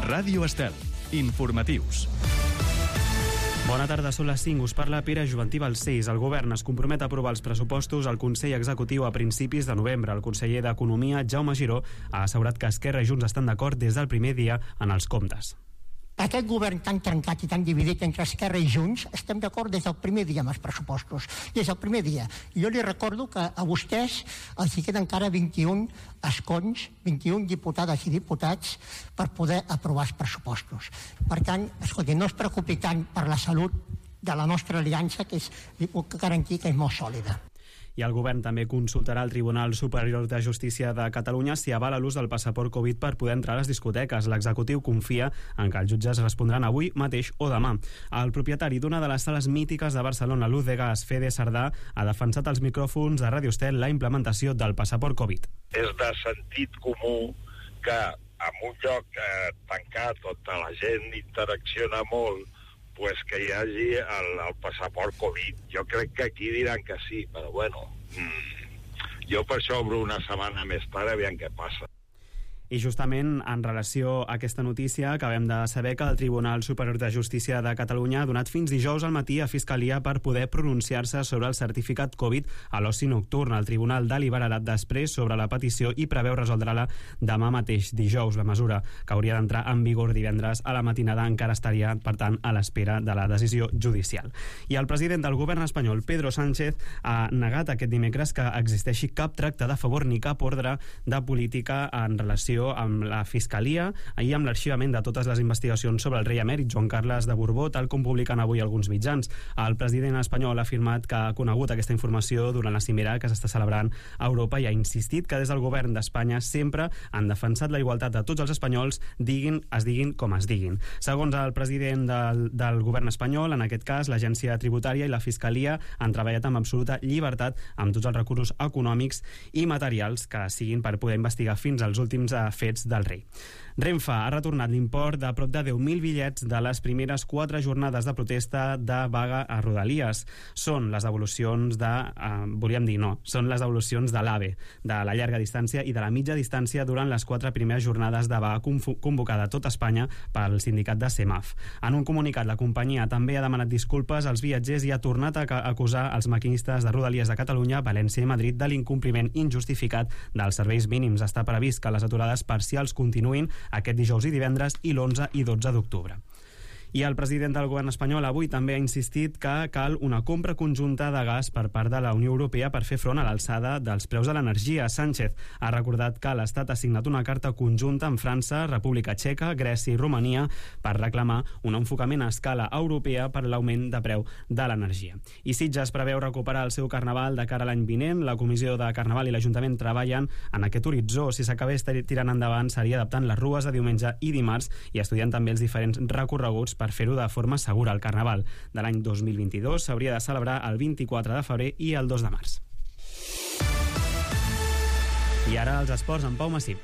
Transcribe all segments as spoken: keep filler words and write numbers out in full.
Ràdio Estel. Informatius. Bona tarda, són les cinc. Us parla Pere Juventí Balcells. El govern es compromet a aprovar els pressupostos al Consell Executiu a principis de novembre. El conseller d'Economia, Jaume Giró, ha assegurat que Esquerra i Junts estan d'acord des del primer dia en els comptes. Aquest govern tan trencat i tan dividit entre Esquerra i Junts, estem d'acord des del primer dia amb els pressupostos. Des del primer dia. Jo li recordo que a vostès els hi queden encara vint-i-un escons, vint-i-un diputades i diputats per poder aprovar els pressupostos. Per tant, escolti, no es preocupi tant per la salut de la nostra aliança, que és, li puc garantir que és molt sòlida. I el govern també consultarà el Tribunal Superior de Justícia de Catalunya si avala l'ús del passaport Covid per poder entrar a les discoteques. L'executiu confia en que els jutges respondran avui mateix o demà. El propietari d'una de les sales mítiques de Barcelona, Luz de Gas, Fede Sardà, ha defensat als micròfons de Ràdio Estel la implementació del passaport Covid. És de sentit comú que en un lloc eh, tancat on la gent interacciona molt, pues que hi hagi el, el passaport Covid. Jo crec que aquí diran que sí, però bueno, mmm, jo per això obro una setmana més tard, aviam què passa. I justament en relació a aquesta notícia acabem de saber que el Tribunal Superior de Justícia de Catalunya ha donat fins dijous al matí a Fiscalia per poder pronunciar-se sobre el certificat Covid a l'oci nocturn. El tribunal deliberarà després sobre la petició i preveu resoldre-la demà mateix, dijous. La mesura, que hauria d'entrar en vigor divendres a la matinada, encara estaria, per tant, a l'espera de la decisió judicial. I el president del govern espanyol, Pedro Sánchez, ha negat aquest dimecres que existeixi cap tracte de favor ni cap ordre de política en relació amb la Fiscalia i amb l'arxivament de totes les investigacions sobre el rei emèrit Joan Carles de Borbó, tal com publiquen avui alguns mitjans. El president espanyol ha afirmat que ha conegut aquesta informació durant la cimera que s'està celebrant a Europa i ha insistit que des del govern d'Espanya sempre han defensat la igualtat de tots els espanyols, diguin, es diguin com es diguin. Segons el president del, del govern espanyol, en aquest cas, l'Agència Tributària i la Fiscalia han treballat amb absoluta llibertat amb tots els recursos econòmics i materials que siguin per poder investigar fins als últims fets del rei. Renfe ha retornat l'import de prop de deu mil bitllets de les primeres quatre jornades de protesta de vaga a Rodalies. Són les devolucions de... Eh, volíem dir, no, són les devolucions de l'AVE, de la llarga distància i de la mitja distància durant les quatre primeres jornades de vaga convocada a tot Espanya pel sindicat de CEMAF. En un comunicat, la companyia també ha demanat disculpes als viatgers i ha tornat a acusar els maquinistes de Rodalies de Catalunya, València i Madrid de l'incompliment injustificat dels serveis mínims. Està previst que les aturades parcials continuïn aquest dijous i divendres i l'onze i dotze d'octubre. I el president del govern espanyol avui també ha insistit que cal una compra conjunta de gas per part de la Unió Europea per fer front a l'alçada dels preus de l'energia. Sánchez ha recordat que l'Estat ha signat una carta conjunta amb França, República Txeca, Grècia i Romania per reclamar un enfocament a escala europea per l'augment de preu de l'energia. I Sitges preveu recuperar el seu carnaval de cara a l'any vinent. La Comissió de Carnaval i l'Ajuntament treballen en aquest horitzó. Si s'acabés tirant endavant, seria adaptant les rues de diumenge i dimarts i estudiant també els diferents recorreguts per per fer-ho de forma segura. El Carnaval de l'any dos mil vint-i-dos s'hauria de celebrar el vint-i-quatre de febrer i el dos de març. I ara els esports amb Pau Massip.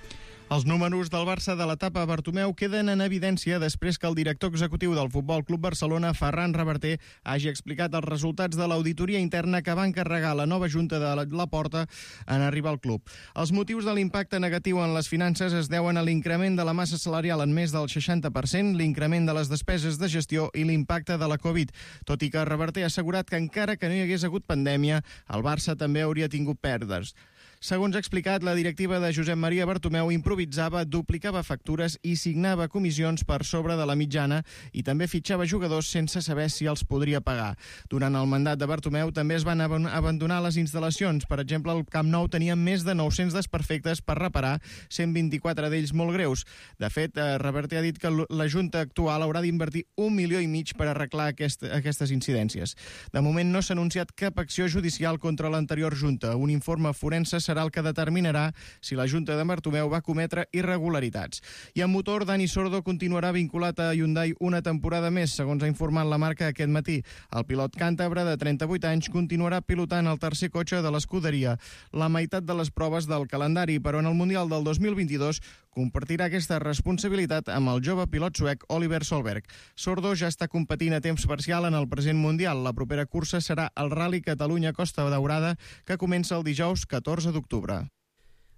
Els números del Barça de l'etapa Bartomeu queden en evidència després que el director executiu del Futbol Club Barcelona, Ferran Reverter, hagi explicat els resultats de l'auditoria interna que va encarregar la nova junta de la Porta en arribar al club. Els motius de l'impacte negatiu en les finances es deuen a l'increment de la massa salarial en més del seixanta per cent, l'increment de les despeses de gestió i l'impacte de la Covid. Tot i que Reverter ha assegurat que encara que no hi hagués hagut pandèmia, el Barça també hauria tingut pèrdues. Segons ha explicat, la directiva de Josep Maria Bartomeu improvisava, duplicava factures i signava comissions per sobre de la mitjana i també fitxava jugadors sense saber si els podria pagar. Durant el mandat de Bartomeu també es van abandonar les instal·lacions. Per exemple, el Camp Nou tenia més de nou-cents desperfectes per reparar, cent vint-i-quatre d'ells molt greus. De fet, Reverter ha dit que la Junta actual haurà d'invertir un milió i mig per arreglar aquest, aquestes incidències. De moment no s'ha anunciat cap acció judicial contra l'anterior Junta. Un informe forense serà el que determinarà si la Junta de Bartomeu va cometre irregularitats. I en motor, Dani Sordo continuarà vinculat a Hyundai una temporada més, segons ha informat la marca aquest matí. El pilot càntabre de trenta-vuit anys continuarà pilotant el tercer cotxe de l'escuderia, la meitat de les proves del calendari, però en el Mundial del dos mil vint-i-dos compartirà aquesta responsabilitat amb el jove pilot suec Oliver Solberg. Sordo ja està competint a temps parcial en el present Mundial. La propera cursa serà el Rally Catalunya Costa Daurada, que comença el dijous catorze d'octubre.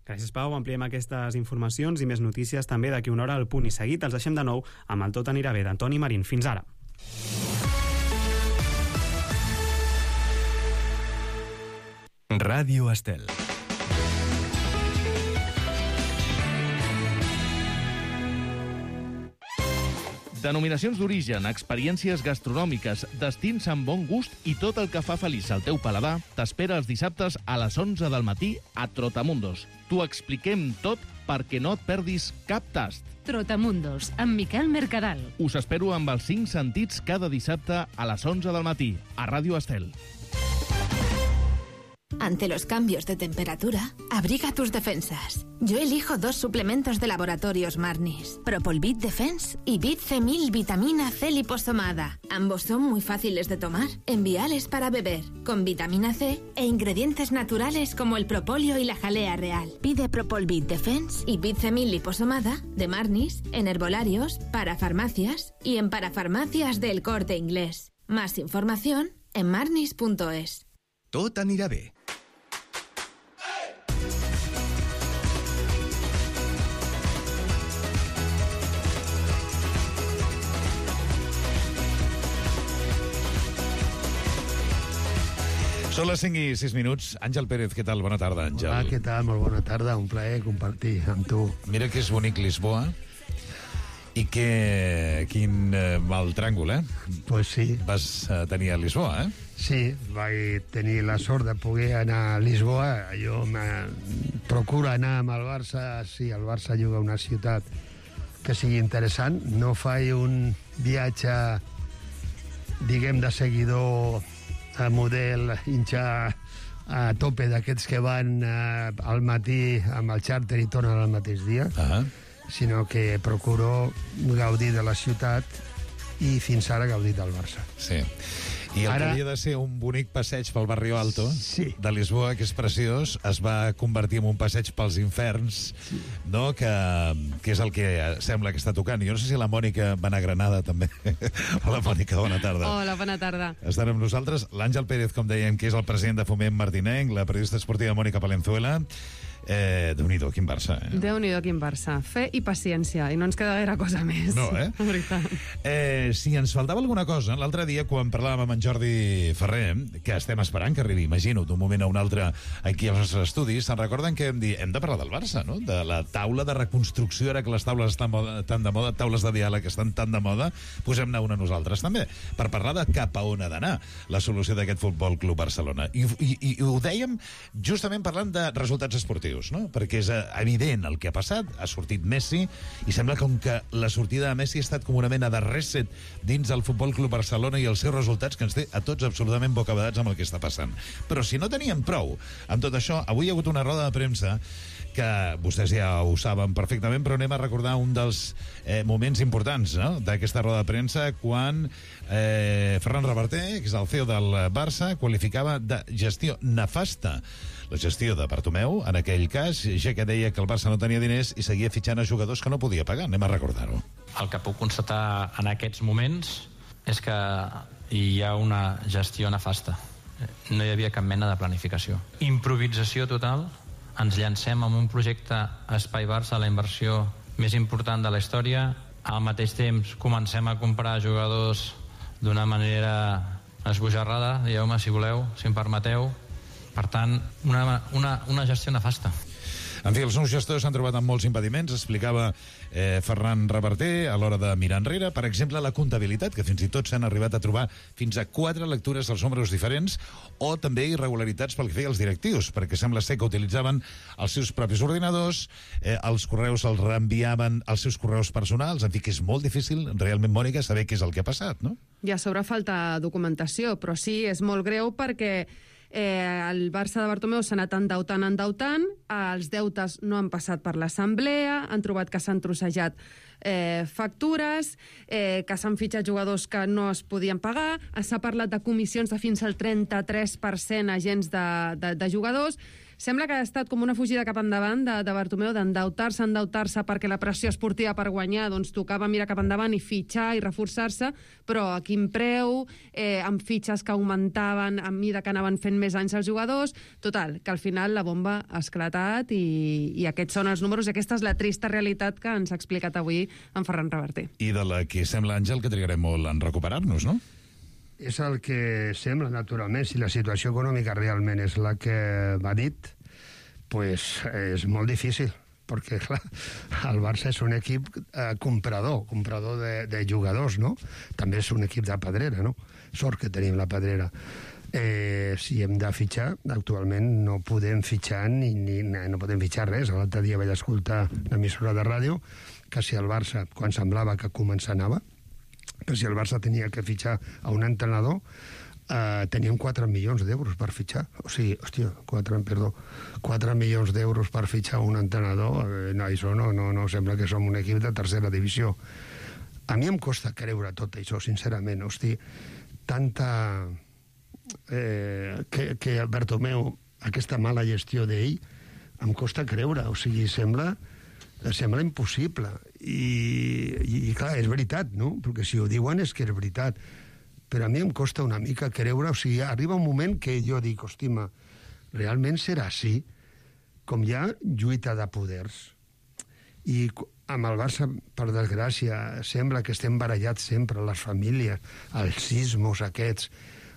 Gràcies, Pau. Ampliem aquestes informacions i més notícies també d'aquí una hora al Punt i Seguit. Els deixem de nou amb el Tot anirà bé d'Antoni Marín. Fins ara. Ràdio Estel. Denominacions d'origen, experiències gastronòmiques, destins amb bon gust i tot el que fa feliç el teu paladar t'espera els dissabtes a les onze del matí a Trotamundos. T'ho expliquem tot perquè no et perdis cap tast. Trotamundos, amb Miquel Mercadal. Us espero amb els cinc sentits cada dissabte a les onze del matí a Ràdio Estel. Ante los cambios de temperatura, abriga tus defensas. Yo elijo dos suplementos de laboratorios Marnis, Propolvit Defense y Bit C mil Vitamina C liposomada. Ambos son muy fáciles de tomar, enviales para beber, con vitamina C e ingredientes naturales como el propóleo y la jalea real. Pide Propolvit Defense y Bit C mil liposomada de Marnis en herbolarios, para farmacias y en parafarmacias del Corte Inglés. Más información en marnis punto es. Tot anirà bé. Són les cinc i sis minuts. Àngel Pérez, què tal? Bona tarda, Àngel. Hola, què tal? Molt bona tarda. Un plaer compartir amb tu. Mira que és bonic Lisboa i que... quin eh, mal tràngol, eh? Pues sí. Vas eh, tenir a Lisboa, eh? Sí, vaig tenir la sort de poder anar a Lisboa. Jo me... procuro anar amb el Barça si el Barça juga a una ciutat que sigui interessant. No faig un viatge, diguem, de seguidor a model hinxar a tope d'aquests que van eh, al matí amb el xàrter i tornen al mateix dia, uh-huh. sinó que procuro gaudir de la ciutat i fins ara gaudir del Barça. Sí. I el Ara... que havia de ser un bonic passeig pel Barrio Alto sí. de Lisboa, que és preciós, es va convertir en un passeig pels inferns, sí. no? que, que és el que sembla que està tocant. Jo no sé si la Mònica va anar a Granada, també. Hola, Mònica, bona tarda. Hola, bona tarda. Estan amb nosaltres l'Àngel Pérez, com dèiem, que és el president de Foment Martinenc, la periodista esportiva Mònica Palenzuela. Eh, Déu-n'hi-do, quin Barça, eh? Déu-n'hi-do, quin Barça. Fe i paciència, i no ens queda gaire cosa més. No, eh? La veritat. Eh, si ens faltava alguna cosa, l'altre dia, quan parlàvem amb en Jordi Ferrer, que estem esperant que arribi, imagino, d'un moment a un altre aquí als nostres estudis, se'n recorden que hem dit, hem de parlar del Barça, no? De la taula de reconstrucció, ara que les taules estan moda, tan de moda, taules de diàleg estan tan de moda, posem-ne una nosaltres també, per parlar de cap a on ha d'anar la solució d'aquest Futbol Club Barcelona. I, i, i ho dèiem justament parlant de resultats esportius, no? Perquè és evident el que ha passat, ha sortit Messi i sembla com que la sortida de Messi ha estat com una mena de reset dins del Futbol Club Barcelona i els seus resultats que ens té a tots absolutament bocabadats amb el que està passant. Però si no teníem prou amb tot això, avui hi ha hagut una roda de premsa que vostès ja ho saben perfectament, però anem a recordar un dels eh, moments importants, no?, d'aquesta roda de premsa, quan eh, Ferran Reverter, que és el C E O del Barça, qualificava de gestió nefasta la gestió de Bartomeu, en aquell cas, ja que deia que el Barça no tenia diners i seguia fitxant a jugadors que no podia pagar. Anem a recordar-ho. El que puc constatar en aquests moments és que hi ha una gestió nefasta. No hi havia cap mena de planificació. Improvisació total. Ens llancem amb un projecte Espai Barça, la inversió més important de la història. Al mateix temps comencem a comprar jugadors d'una manera esbojarrada, dieu-me si voleu, si em permeteu. Per tant, una, una, una gestió nefasta. En fi, els nous gestors s'han trobat amb molts impediments, explicava eh, Ferran Reverter a l'hora de mirar enrere. Per exemple, la comptabilitat, que fins i tot s'han arribat a trobar fins a quatre lectures dels números diferents, o també irregularitats pel que feia als directius, perquè sembla ser que utilitzaven els seus propis ordinadors, eh, els correus els reenviaven als seus correus personals, en fi, que és molt difícil, realment, Mònica, saber què és el que ha passat, no? I a sobre falta documentació, però sí, és molt greu perquè Eh, el Barça de Bartomeu s'ha anat endeutant, endeutant, els deutes no han passat per l'assemblea, han trobat que s'han trossejat eh, factures, eh, que s'han fitxat jugadors que no es podien pagar, s'ha parlat de comissions de fins al trenta-tres per cent a agents de, de, de jugadors. sembla que ha estat com una fugida cap endavant de, de Bartomeu, d'endeutar-se, endeutar-se perquè la pressió esportiva per guanyar, doncs tocava mirar cap endavant i fitxar i reforçar-se, però a quin preu, eh, amb fitxes que augmentaven a mida que anaven fent més anys els jugadors. Total, que al final la bomba ha esclatat i, i aquests són els números i aquesta és la trista realitat que ens ha explicat avui en Ferran Reverter. I de la que sembla, Àngel, que trigarem molt en recuperar-nos, no? És el que sembla, naturalment. Si la situació econòmica realment és la que va dit, pues és molt difícil, perquè, clar, el Barça és un equip eh, comprador, comprador de, de jugadors, no? També és un equip de pedrera, no? Sort que tenim la pedrera. Eh, si hem de fitxar, actualment no podem fitxar ni, ni no podem fitxar res. L'altre dia vaig escoltar l'emissora de ràdio que si el Barça, quan semblava que començava, que si el Barça tenia que fitxar a un entrenador, eh, teníem quatre milions d'euros per fitxar. O sigui, hòstia, quatre, perdó, quatre milions d'euros per fitxar un entrenador, eh, no, això no, no, no sembla que som un equip de tercera divisió. A mi em costa creure tot això, sincerament. Hosti, tanta... Eh, que, que Bartomeu, aquesta mala gestió d'ell, em costa creure. O sigui, sembla... sembla impossible. I, i, i clar, és veritat, no? Perquè si ho diuen és que és veritat. Però a mi em costa una mica creure, o sigui, arriba un moment que jo dic, hòstima, realment serà així? Com hi ha lluita de poders. I amb el Barça, per desgràcia, sembla que estem barallats sempre, les famílies, els sismos aquests.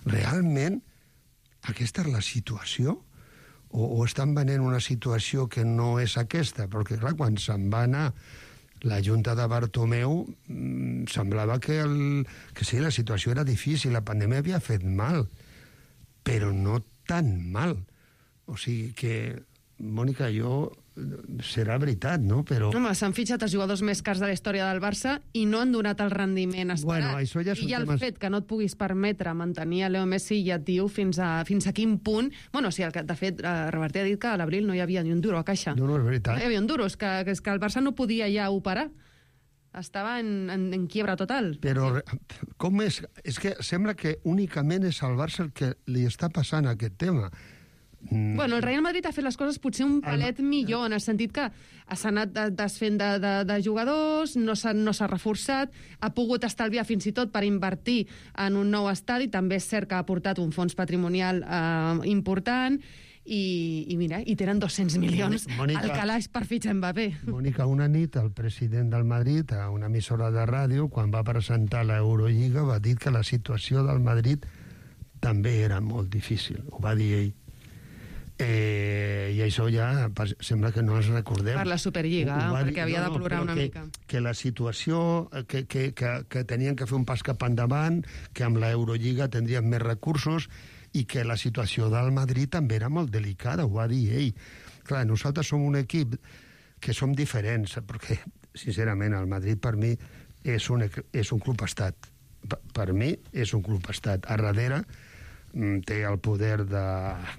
Realment, aquesta és la situació? O, o estan venent una situació que no és aquesta? Perquè, clar, quan se'n va anar la Junta de Bartomeu, mmm, semblava que, el, que sí, la situació era difícil, la pandèmia havia fet mal, però no tan mal. O sigui que, Mònica, jo... serà veritat, no? Però... Home, s'han fitxat els jugadors més cars de la història del Barça i no han donat el rendiment esperat. Bueno, això ja I ja el temes... fet que no et puguis permetre mantenir a Leo Messi ja et diu fins a, fins a quin punt... Bueno, sí, el que, de fet, eh, Reverter ha dit que a l'abril no hi havia ni un duro a caixa. No, no, és veritat. No hi havia un duro, és que, que, és que el Barça no podia ja operar. Estava en, en, en quiebra total. Però com és? És que sembla que únicament és al Barça el que li està passant aquest tema. Bueno, el Real Madrid ha fet les coses potser un palet millor, en el sentit que s'ha anat desfent de, de, de jugadors, no s'ha no s'ha reforçat, ha pogut estalviar fins i tot per invertir en un nou estadi, també és cert que ha aportat un fons patrimonial eh, important, i, i mira, i tenen dos-cents milions Mònica, al calaix per fitxar Mbappé. Mònica, una nit el president del Madrid, a una emissora de ràdio, quan va presentar l'Eurolliga, va dir que la situació del Madrid també era molt difícil, ho va dir ell. Eh, i això ja sembla que no ens recordem. Per la Superliga, perquè havia no, no, de plorar una que, mica. Que la situació, que, que, que, que tenien que fer un pas cap endavant, que amb l'Eurolliga tindrien més recursos i que la situació del Madrid també era molt delicada, ho va dir ell. Clar, nosaltres som un equip que som diferents, perquè, sincerament, el Madrid per mi és un, és un club estat. Per, per mi és un club estat. A darrere té el poder de,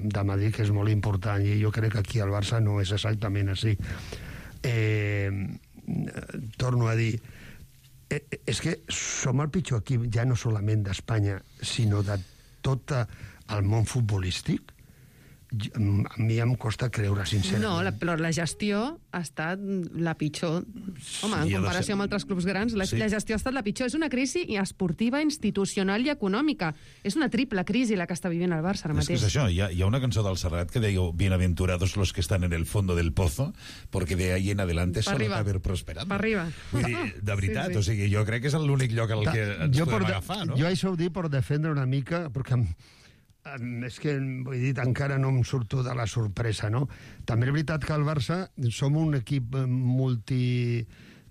de Madrid, que és molt important, i jo crec que aquí al Barça no és exactament així. Eh, torno a dir, eh, és que som el pitjor equip ja no solament d'Espanya, sinó de tot el món futbolístic. A mi em costa creure, sincerament. No, la, però la gestió ha estat la pitjor. Home, en comparació amb altres clubs grans, la, sí. la gestió ha estat la pitjor. És una crisi esportiva, institucional i econòmica. És una triple crisi la que està vivint el Barça ara mateix. És que és això, hi ha, hi ha una cançó del Serrat que deia bienaventurados los que están en el fondo del pozo, porque de ahí en adelante solo que haber prosperado. Per arriba. Vull dir, de veritat, sí, sí. O sigui, jo crec que és l'únic lloc al que ens jo podem agafar, no? Jo això ho dic per defendre una mica, perquè és que, vull dir, encara no em surto de la sorpresa, no? També és veritat que al Barça som un equip multi...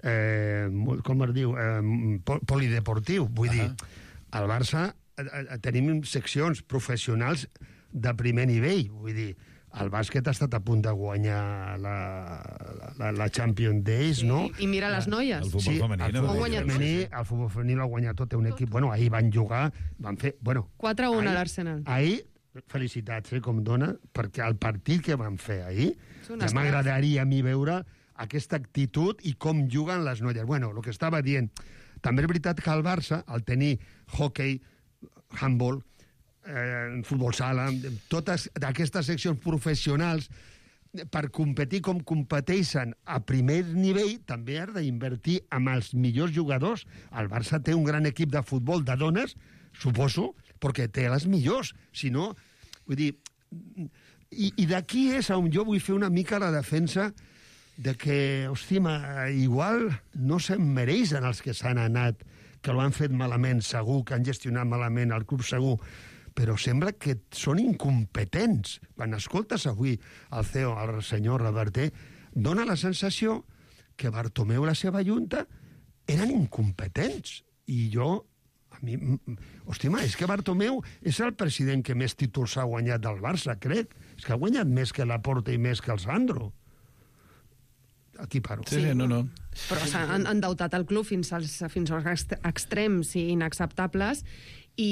Eh, com es diu? Eh, polideportiu. Vull uh-huh. dir, al Barça eh, tenim seccions professionals de primer nivell. Vull dir, el bàsquet ha estat a punt de guanyar la, la, la Champions Days, sí, no? I mira les noies. El futbol sí, femení. El futbol femení, el futbol femení l'ha guanyat tot, un equip... Bueno, ahir van jugar, van fer... Bueno, quatre a un a l'Arsenal. Ahir, felicitats, eh, com dona, perquè el partit que van fer ahir, ja m'agradaria a mi veure aquesta actitud i com juguen les noies. Bueno, el que estava dient, també és veritat que el Barça, al tenir hockey, handball, eh, futbol sala, totes aquestes seccions professionals, per competir com competeixen a primer nivell, també has d'invertir amb els millors jugadors. El Barça té un gran equip de futbol de dones, suposo, perquè té les millors. Si no, vull dir... I, i d'aquí és on jo vull fer una mica la defensa de que, hòstia, igual no se'n mereixen els que s'han anat, que l'han fet malament, segur, que han gestionat malament el club, segur, però sembla que són incompetents. Quan escoltes avui el C E O, el senyor Reverter, dona la sensació que Bartomeu i la seva junta eren incompetents. I jo, a mi, hòstia, és que Bartomeu és el president que més títols ha guanyat del Barça, crec. És que ha guanyat més que Laporta i més que el Sandro. Aquí paro. Sí, sí, no, no. Però s'han endeutat el club fins als, fins als extrems i inacceptables, i,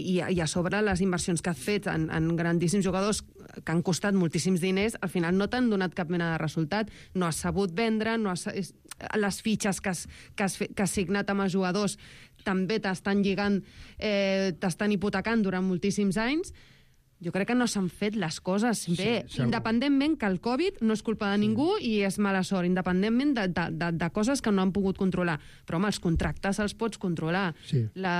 i, i a sobre les inversions que ha fet en, en grandíssims jugadors que han costat moltíssims diners, al final no t'han donat cap mena de resultat. No has sabut vendre, no has, les fitxes que has, que has, que has signat amb els jugadors també t'estan lligant, eh, t'estan hipotecant durant moltíssims anys. Jo crec que no s'han fet les coses bé, sí, independentment que el Covid no és culpa de ningú i és mala sort, independentment de, de, de, de coses que no han pogut controlar. Però, home, els contractes els pots controlar. Sí. La,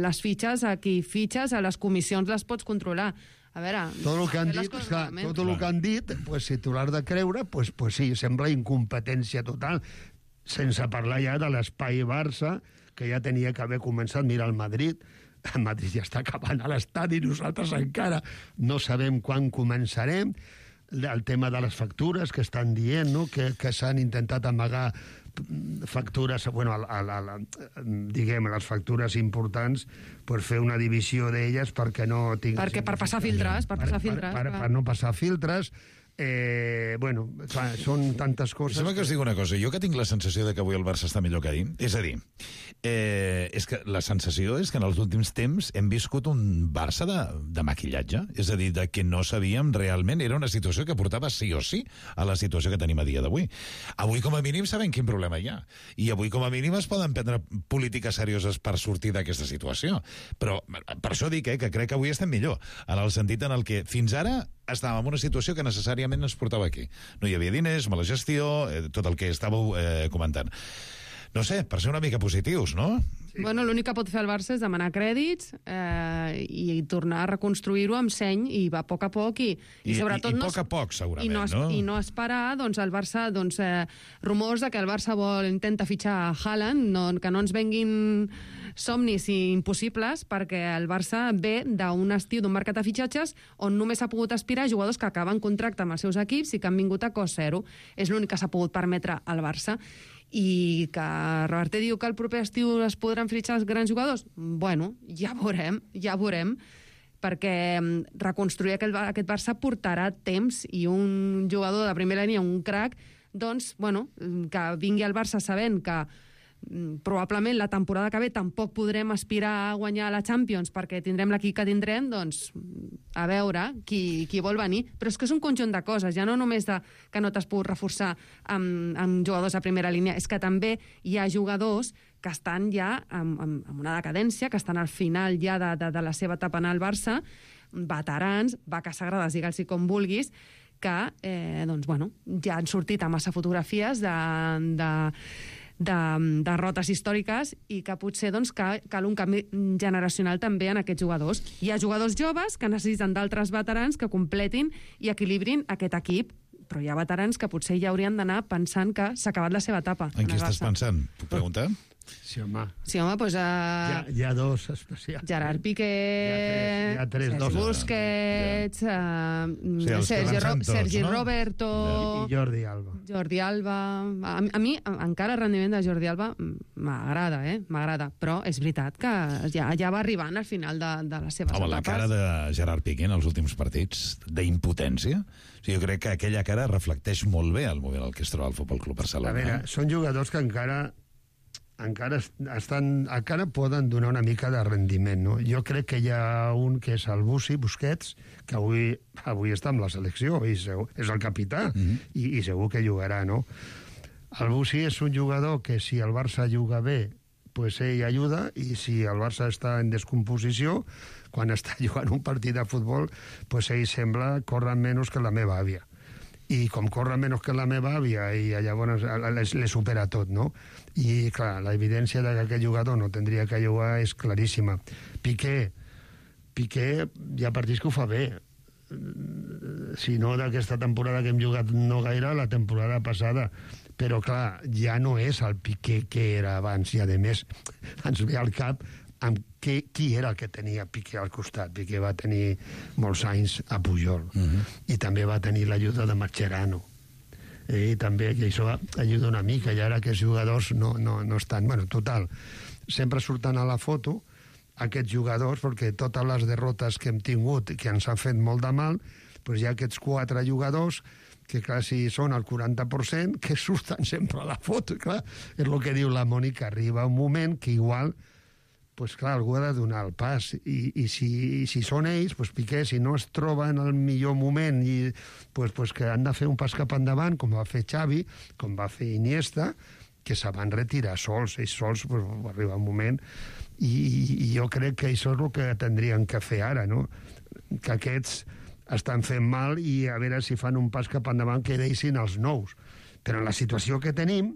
les fitxes, a qui fitxes, a les comissions les pots controlar. A veure... Tot el que han dit, clar, tot el que han dit, pues, si tu l'has de creure, pues, pues sí, sembla incompetència total. Sense parlar ja de l'espai Barça, que ja tenia que haver començat. Mira el Madrid... El Madrid ja està acabant a l'estadi, nosaltres encara no sabem quan començarem. El tema de les factures que estan dient, no? que, que s'han intentat amagar factures, bueno, a, a, a, diguem, les factures importants, per fer una divisió d'elles perquè no tinguin... Perquè per passar filtres, per passar filtres. Per, per, per no passar filtres. Eh, bueno, clar, són tantes coses... Sembla que us dic una cosa, jo que tinc la sensació de que avui el Barça està millor que ahir, és a dir, eh, és que la sensació és que en els últims temps hem viscut un Barça de, de maquillatge, és a dir, de que no sabíem realment, era una situació que portava sí o sí a la situació que tenim a dia d'avui. Avui com a mínim sabem quin problema hi ha, i avui com a mínim es poden prendre polítiques serioses per sortir d'aquesta situació, però per això dic eh, que crec que avui estem millor, en el sentit en el que fins ara estàvem en una situació que necessàriament ens portava aquí. No hi havia diners, mala gestió, eh, tot el que estàveu eh, comentant. No sé, per ser una mica positius, no? Sí. Bueno, l'únic que pot fer el Barça és demanar crèdits eh, i tornar a reconstruir-ho amb seny i va a poc a poc i, i, I sobretot... I, i no, poc a poc, segurament, i no, no? I no esperar, doncs, el Barça, doncs, eh, rumors de que el Barça vol, intenta fitxar a Haaland, no, que no ens venguin somnis i impossibles, perquè el Barça ve d'un estiu, d'un mercat de fitxatges on només s'ha pogut aspirar a jugadors que acaben contracte amb els seus equips i que han vingut a cost zero. És l'únic que s'ha pogut permetre al Barça. I que Reverter diu que el proper estiu es podran fitxar els grans jugadors? Bueno, ja veurem, ja veurem, perquè reconstruir aquest, aquest Barça portarà temps i un jugador de primera línia, un crac, doncs, bueno, que vingui al Barça sabent que probablement la temporada que ve tampoc podrem aspirar a guanyar la Champions perquè tindrem l'equip que tindrem, doncs a veure qui, qui vol venir. Però és que és un conjunt de coses, ja no només de, que no t'has pogut reforçar amb, amb jugadors a primera línia, és que també hi ha jugadors que estan ja amb, amb, amb una decadència, que estan al final ja de, de, de la seva etapa en el Barça, veterans, vaques sagrades, digue'ls com vulguis, que eh, doncs, bueno, ja han sortit a massa fotografies de... de de derrotes històriques i que potser doncs, cal, cal un canvi generacional també en aquests jugadors. Hi ha jugadors joves que necessiten d'altres veterans que completin i equilibrin aquest equip, però hi ha veterans que potser ja haurien d'anar pensant que s'ha acabat la seva etapa. En qui estàs pensant? Puc preguntar? Sí, home. Sí, home, doncs... Uh... Hi, ha, hi ha dos especials. Gerard Piqué... Hi ha tres, hi ha tres dos. Busquets... Uh, sí, Sergi, Ro tots, Sergi no? Roberto... I Jordi Alba. Jordi Alba... A, a mi encara el rendiment de Jordi Alba m'agrada, eh? M'agrada. Però és veritat que ja, ja va arribant al final de, de les seves Home, etapes. la cara de Gerard Piqué en els últims partits, d'impotència, o sigui, jo crec que aquella cara reflecteix molt bé el moment en el que es troba el Futbol Club Barcelona. A veure, són jugadors que encara... encara estan, encara poden donar una mica de rendiment, no? Jo crec que hi ha un que és el Bussi, Busquets, que avui, avui està amb la selecció, i segur, és el capità, mm-hmm. i, i segur que jugarà, no? El Bussi és un jugador que si el Barça juga bé pues ell ajuda, i si el Barça està en descomposició, quan està jugant un partit de futbol, pues ell sembla córrer menys que la meva àvia. I com corre menys que la meva àvia, i llavors le supera tot, no? I, clar, la evidència que aquest jugador no tindria que jugar és claríssima. Piqué, Piqué hi ha partits que ho fa bé. Si no d'aquesta temporada que hem jugat no gaire, la temporada passada. Però, clar, ja no és el Piqué que era abans, i, a més, ens ve al cap amb qui, qui era el que tenia Piqué al costat. Piqué va tenir molts anys a Pujol, uh-huh. i també va tenir l'ajuda de Mascherano. I també que això ajuda una mica, i ara aquests jugadors no, no, no estan... Bueno, total, sempre surten a la foto aquests jugadors, perquè totes les derrotes que hem tingut, que ens han fet molt de mal, doncs hi ha aquests quatre jugadors que quasi són el quaranta per cent, que surten sempre a la foto. Clar, és el que diu la Mònica, arriba un moment que igual, pues clar, algú ha de donar el pas, i, i, si, i si són ells, pues Piqué, si no es troba en el millor moment, i, pues, pues que han de fer un pas cap endavant, com va fer Xavi, com va fer Iniesta, que se van retirar sols, ells sols, pues, va arribar un moment, i, i jo crec que això és el que tindrien que fer ara, no? Que aquests estan fent mal, i a veure si fan un pas cap endavant que deixin els nous. Però en la situació que tenim,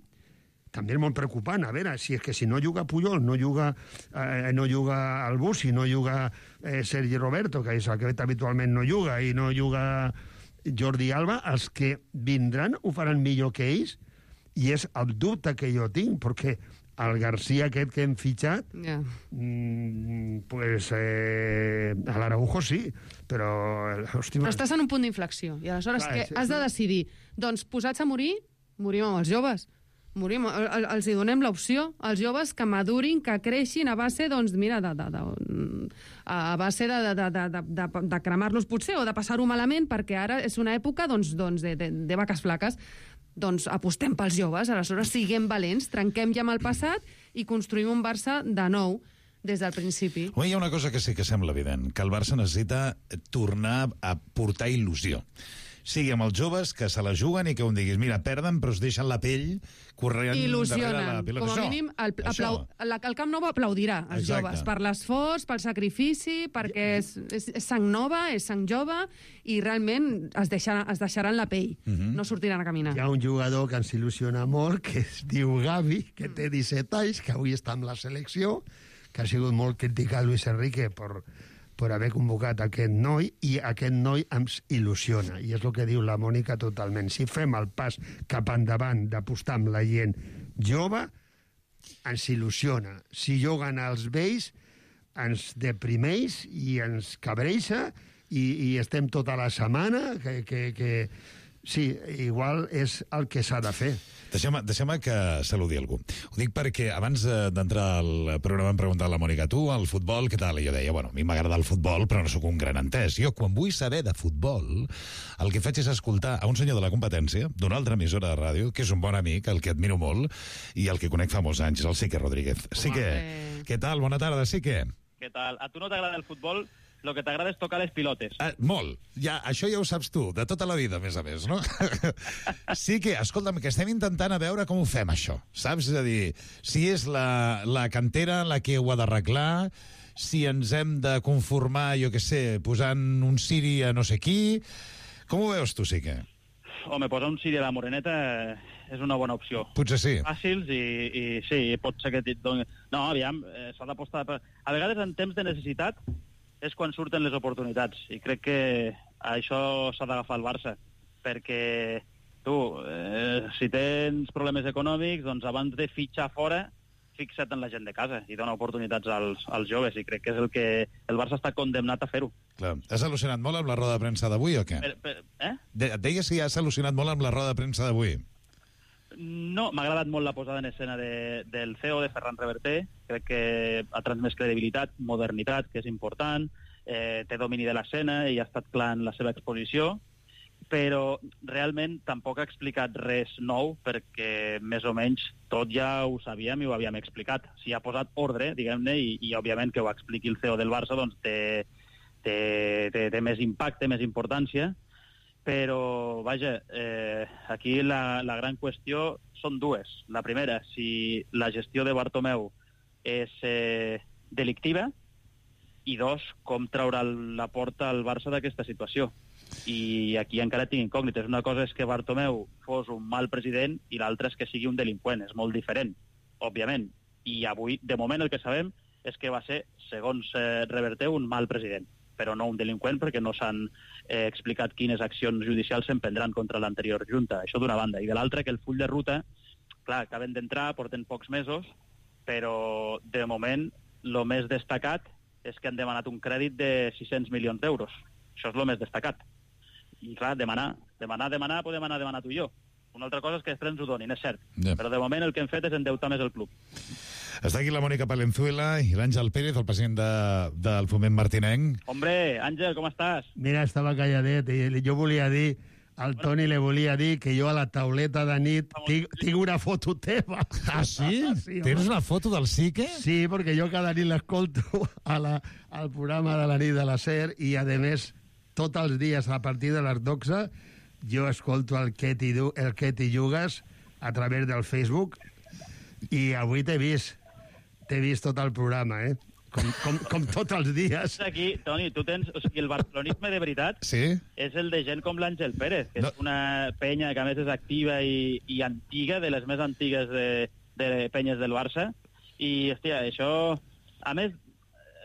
també és molt preocupant. A veure, si és que si no juga Puyol, no juga, eh, no juga el Bussi, no juga eh, Sergi Roberto, que és el que habitualment no juga, i no juga Jordi Alba, els que vindran ho faran millor que ells, i és el dubte que jo tinc, perquè el García aquest que hem fitxat, yeah. mmm, pues eh, a l'Araujo sí, però... Hosti, però estàs en un punt d'inflexió, i aleshores clar, que sí, has de sí. decidir, doncs posats a morir, morim amb els joves. Morim, el, els hi donem l'opció als joves que madurin, que creixin a base, doncs, mira, de, de, de, a base de, de, de, de, de, de cremar-los potser o de passar-ho malament, perquè ara és una època doncs, doncs, de, de, de vaques flaques. Doncs apostem pels joves, aleshores siguem valents, trenquem ja amb el passat i construïm un Barça de nou des del principi. Home, hi ha una cosa que sí que sembla evident, que el Barça necessita tornar a portar il·lusió. Sigui amb els joves, que se la juguen i que un diguis, mira, perden, però es deixen la pell corrent darrere la pilota. Com a mínim, el, aplau, la, el Camp Nou aplaudirà els Exacte. joves per l'esforç, pel sacrifici, perquè és, és, és sang nova, és sang jove, i realment es deixaran, es deixaran la pell, uh-huh. no sortiran a caminar. Hi ha un jugador que ens il·lusiona molt, que es diu Gavi, que té disset anys, que avui està amb la selecció, que ha sigut molt criticat Luis Enrique per... per haver convocat aquest noi, i aquest noi ens il·lusiona, i és el que diu la Mònica totalment. Si fem el pas cap endavant d'apostar amb la gent jove, ens il·lusiona. Si juguen els vells, ens deprimeix i ens cabreixa, i, i estem tota la setmana, que, que, que sí, igual és el que s'ha de fer. Deixem-me deixem que saludi algú. Ho dic perquè abans d'entrar al programa em preguntava la Mònica, tu, al futbol, què tal? I jo deia, bueno, a mi m'agrada el futbol, però no sóc un gran entès. Jo, quan vull saber de futbol, el que faig és escoltar a un senyor de la competència, d'una altra emissora de ràdio, que és un bon amic, el que admiro molt, i el que conec fa molts anys, el Sique Rodríguez. Sique, què tal? Bona tarda, Sique. Què tal? A tu no t'agrada el futbol? Lo que t'agrada és tocar les pilotes. Ah, molt. Ja, això ja ho saps tu, de tota la vida, a més a més, no? Sí que, escolta'm, que estem intentant a veure com ho fem, això, saps? És a dir, si és la, la cantera la que ho ha d'arreglar, si ens hem de conformar, jo què sé, posant un Siri a no sé qui... Com ho veus tu, sí que? Home, posar un Siri a la Moreneta és una bona opció. Potser sí. Fàcils i, i sí, pot ser que et doni... No, aviam, eh, s'ha d'apostar... Per... A vegades, en temps de necessitat, és quan surten les oportunitats, i crec que això s'ha d'agafar el Barça, perquè tu, eh, si tens problemes econòmics, doncs abans de fitxar fora, fixa't en la gent de casa i dona oportunitats als, als joves, i crec que és el que el Barça està condemnat a fer-ho. Clar. Has al·lucinat molt amb la roda de premsa d'avui o què? Per, per, eh? De, et deia si has al·lucinat molt amb la roda de premsa d'avui. No, m'ha agradat molt la posada en escena de, del C E O, de Ferran Reverter. Crec que ha transmès credibilitat, modernitat, que és important, eh, té domini de l'escena i ha estat clar en la seva exposició, però realment tampoc ha explicat res nou, perquè més o menys tot ja ho sabíem i ho havíem explicat. Si ha posat ordre, diguem-ne, i, i òbviament que ho expliqui el C E O del Barça, doncs té, té, té, té més impacte, més importància. Però, vaja, eh, aquí la, la gran qüestió són dues. La primera, si la gestió de Bartomeu és eh, delictiva, i dos, com treure la porta al Barça d'aquesta situació. I aquí encara tinc incògnites. Una cosa és que Bartomeu fos un mal president i l'altra és que sigui un delinqüent. És molt diferent, òbviament. I avui, de moment, el que sabem és que va ser, segons eh, Reverter, un mal president, però no un delinqüent, perquè no s'han eh, explicat quines accions judicials s'emprendran contra l'anterior junta. Això d'una banda. I de l'altra, que el full de ruta, clar, acaben d'entrar, porten pocs mesos, però de moment el més destacat és que han demanat un crèdit de sis-cents milions d'euros. Això és el més destacat. I clar, demanar, demanar, demanar, podem anar a demanar tu i jo. Una altra cosa és que després ens ho donin, és cert. Ja. Però de moment el que hem fet és endeutar més el club. Està aquí la Mònica Palenzuela i l'Àngel Pérez, el president de, del Foment Martinenc. Hombre, Àngel, com estàs? Mira, estava calladet i jo volia dir, al Toni li volia dir que jo a la tauleta de nit tinc, tinc una foto teva. Ah, sí? Sí, Tens home. una foto del Sique? Sí, perquè jo cada nit l'escolto a la, al programa de la nit de la SER i, a més, tots els dies a partir de les dotze jo escolto el que t'hi du- el que t'hi jugues a través del Facebook i avui t'he vist, t'he vist tot el programa, eh? Com, com, com tots els dies. Aquí, Toni, tu tens... O sigui, el barcelonisme de veritat sí? és el de gent com l'Àngel Pérez, que no. és una penya que a més és activa i, i antiga, de les més antigues de, de penyes del Barça. I, hòstia, això... A més,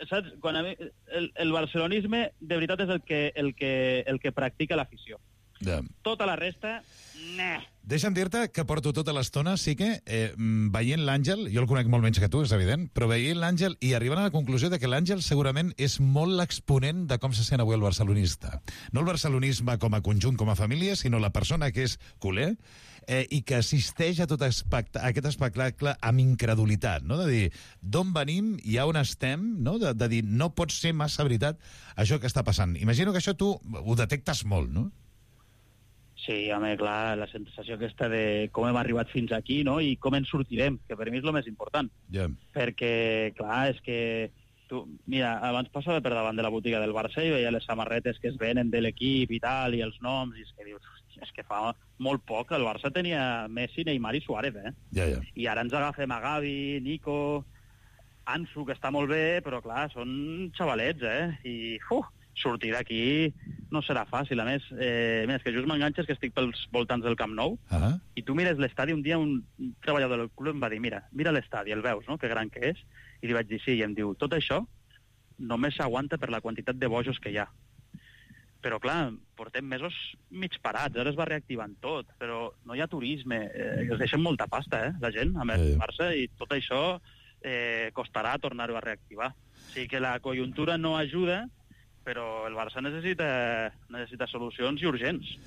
saps? Quan a mi, el, el barcelonisme de veritat és el que, el que, el que practica l'afició. Ja. Tota la resta... Nah. Deixa'm dir-te que porto tota l'estona, sí que, eh, veient l'Àngel, jo el conec molt menys que tu, és evident, però veient l'Àngel i arribant a la conclusió de que l'Àngel segurament és molt l'exponent de com se sent avui el barcelonista. No el barcelonisme com a conjunt, com a família, sinó la persona que és culer eh, i que assisteix a tot espect a aquest espectacle amb incredulitat, no? De dir, d'on venim i a on estem, no? De, de dir, no pot ser massa veritat això que està passant. Imagino que això tu ho detectes molt, no? Sí, home, clar, la sensació aquesta de com hem arribat fins aquí, no?, i com en sortirem, que per mi és el més important. Yeah. Perquè, clar, és que... Tu, mira, abans passava per davant de la botiga del Barça i veia les samarretes que es venen de l'equip i tal, i els noms, i és que dius, hòstia, és que fa molt poc el Barça tenia Messi, Neymar i Suárez, eh? Ja, ja. I ara ens agafem a Gavi, Nico, Ansu, que està molt bé, però, clar, són xavalets, eh? I, uf, sortir d'aquí no serà fàcil. A més, eh, més que just m'enganxes que estic pels voltants del Camp Nou, uh -huh. i tu mires l'estadi. Un dia un treballador del club em va dir, mira, mira l'estadi, el veus, no?, que gran que és? I li vaig dir, sí, i em diu, tot això només s'aguanta per la quantitat de bojos que hi ha. Però, clar, portem mesos mig parats, ara es va reactivant tot, però no hi ha turisme, eh, es deixen molta pasta, eh, la gent, a més, Barça, i tot això eh, costarà tornar-ho a reactivar. O sigui que la conjuntura no ajuda, però el Barça necessita, necessita solucions i urgents.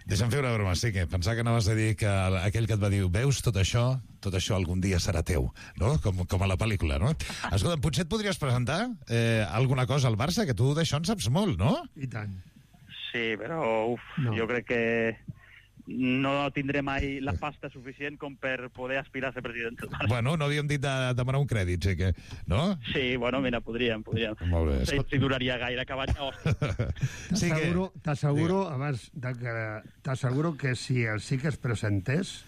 Deixa'm fer una broma, sí que pensava que anaves a dir que aquell que et va dir veus tot això, tot això algun dia serà teu, no? Com, com a la pel·lícula, no? Escolta, potser et podries presentar eh, alguna cosa al Barça, que tu d'això en saps molt, no? I tant. Sí, però uf, no. Jo crec que no tindré mai la pasta suficient com per poder aspirar a ser president del Barça. Bueno, no havíem dit de demanar un crèdit, sí que... No? Sí, bueno, mira, podríem, podríem. Molt bé. No sé si duraria gaire acabar ja, hòstia. Sí t'asseguro, que... t'asseguro abans de que... T'asseguro que si el sí que es presentés...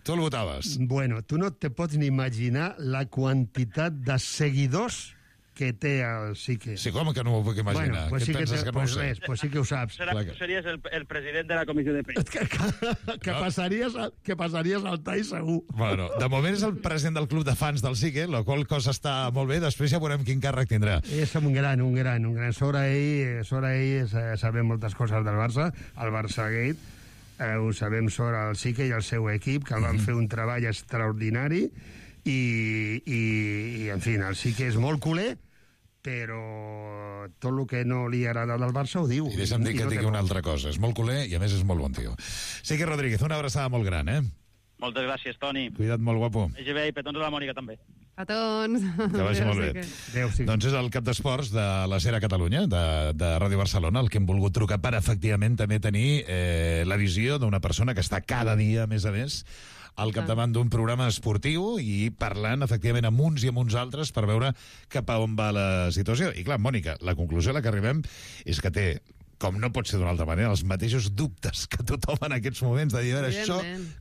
Tu el votaves? Bueno, tu no te pots ni imaginar la quantitat de seguidors que té el Sique. Sí, com que no m'ho puc imaginar? Bueno, pues sí Què que, penses, te, que no pues ho sé? res, pues sí que ho saps. Serà, tu series el, el president de la comissió de prensa. Que, que, que, passaries, que passaries al tall segur. Bueno, de moment és el president del club de fans del Sique, la qual cosa està molt bé, després ja veurem quin càrrec tindrà. És un gran, un gran, un gran. Sobre ell, sobre ell sabem moltes coses del Barça, el Barça Gate, eh, ho sabem sobre el Sique i el seu equip, que el van mm-hmm. fer un treball extraordinari, i, i, i en fi, el Sique és molt culer, però tot el que no li agrada del Barça ho diu. I deixa'm dir que no digui una altra cosa. És molt culer i, a més, és molt bon tio. Sique Rodríguez, una abraçada molt gran, eh? Moltes gràcies, Toni. Cuida't molt, guapo. Vagi bé i petons a la Mònica, també. Petons. Que vagi molt bé. Adéu, sí. Doncs és el cap d'esports de la Sera Catalunya, de, de Ràdio Barcelona, el que hem volgut trucar per, efectivament, també tenir eh, la visió d'una persona que està cada dia, a més a més, al capdavant d'un programa esportiu i parlant, efectivament, amb uns i amb uns altres per veure cap a on va la situació. I clar, Mònica, la conclusió a la que arribem és que té com no pot ser d'una altra manera, els mateixos dubtes que tothom en aquests moments, de dir, a veure, això,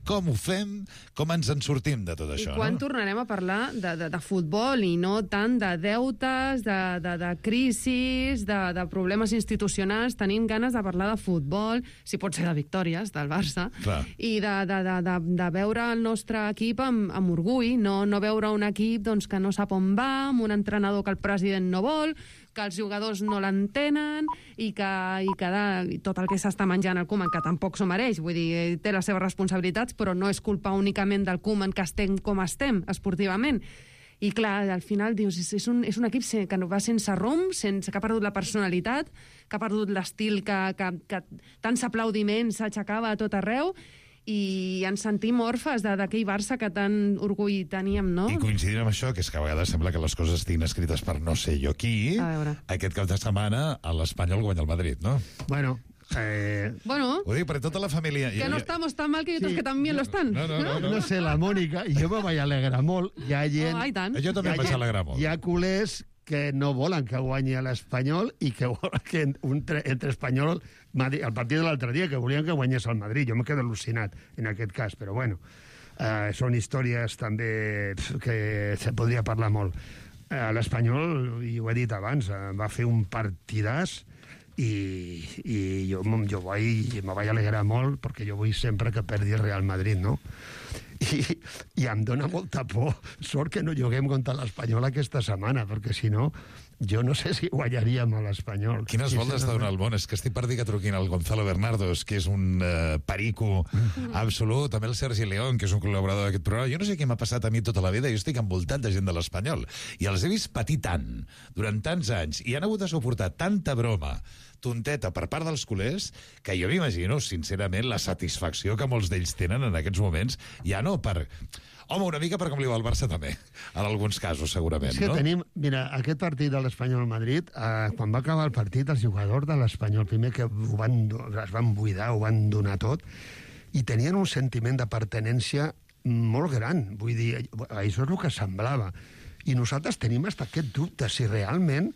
com ho fem, com ens en sortim de tot això, I quan no? tornarem a parlar de, de, de futbol i no tant de deutes, de, de, de crisis, de, de problemes institucionals? Tenim ganes de parlar de futbol, si pot ser de victòries del Barça, Clar. i de, de, de, de, de veure el nostre equip amb, amb orgull, no, no veure un equip doncs, que no sap on va, amb un entrenador que el president no vol, que els jugadors no l'entenen i que, i que de, i tot el que s'està menjant el Koeman, que tampoc s'ho mereix, vull dir, té les seves responsabilitats, però no és culpa únicament del Koeman que estem com estem esportivament. I clar, al final dius, és, és, un, és un equip que va sense rumb, sense, que ha perdut la personalitat, que ha perdut l'estil, que, que, que tants aplaudiments s'aixecava a tot arreu, i ens sentim orfes d'aquell Barça que tant orgull teníem, no? I coincidim amb això, que és que a vegades sembla que les coses estiguin escrites per no sé jo qui. Aquest cap de setmana a l'Espanyol guanya el Madrid, no? Bueno, eh... Bueno, ho dic perquè tota la família... que no estamos tan mal que otros Sí, que también lo están. No, no, no, no, no sé, la Mònica, jo me vaig alegrar molt. Hi ha gent... Oh, i tant. Jo també em vaig alegrar molt. Hi ha culers que no volen que guanyi l'Espanyol i que volen que un tre, entre Espanyol... Madrid, el partit de l'altre dia, que volien que guanyés el Madrid. Jo m'he quedat al·lucinat en aquest cas, però bueno, eh, són històries també que se podria parlar molt. Eh, L'Espanyol, i ho he dit abans, eh, va fer un partidàs i, i jo, jo vaig, me vaig alegrar molt perquè jo vull sempre que perdi el Real Madrid, no? I, i em dóna molta por. Sort que no juguem contra l'Espanyol aquesta setmana, perquè si no, jo no sé si guanyaríem a l'Espanyol. Quines voltes de donar el món? És que estic per dir que truquin el Gonzalo Bernardos, que és un uh, perico absolut, també el Sergi León, que és un col·laborador d'aquest programa. Jo no sé què m'ha passat a mi tota la vida, jo estic envoltat de gent de l'Espanyol, i els he vist patir tant, durant tants anys, i han hagut de suportar tanta broma tonteta per part dels culers, que jo m'imagino, sincerament, la satisfacció que molts d'ells tenen en aquests moments, ja no per... Home, una mica per com li va al Barça també, en alguns casos, segurament, és que no? tenim, mira, aquest partit de l'Espanyol-Madrid, eh, quan va acabar el partit, els jugadors de l'Espanyol, primer que ho van, es van buidar, ho van donar tot, i tenien un sentiment de pertenència molt gran, vull dir, això és el que semblava. I nosaltres tenim hasta aquest dubte, si realment...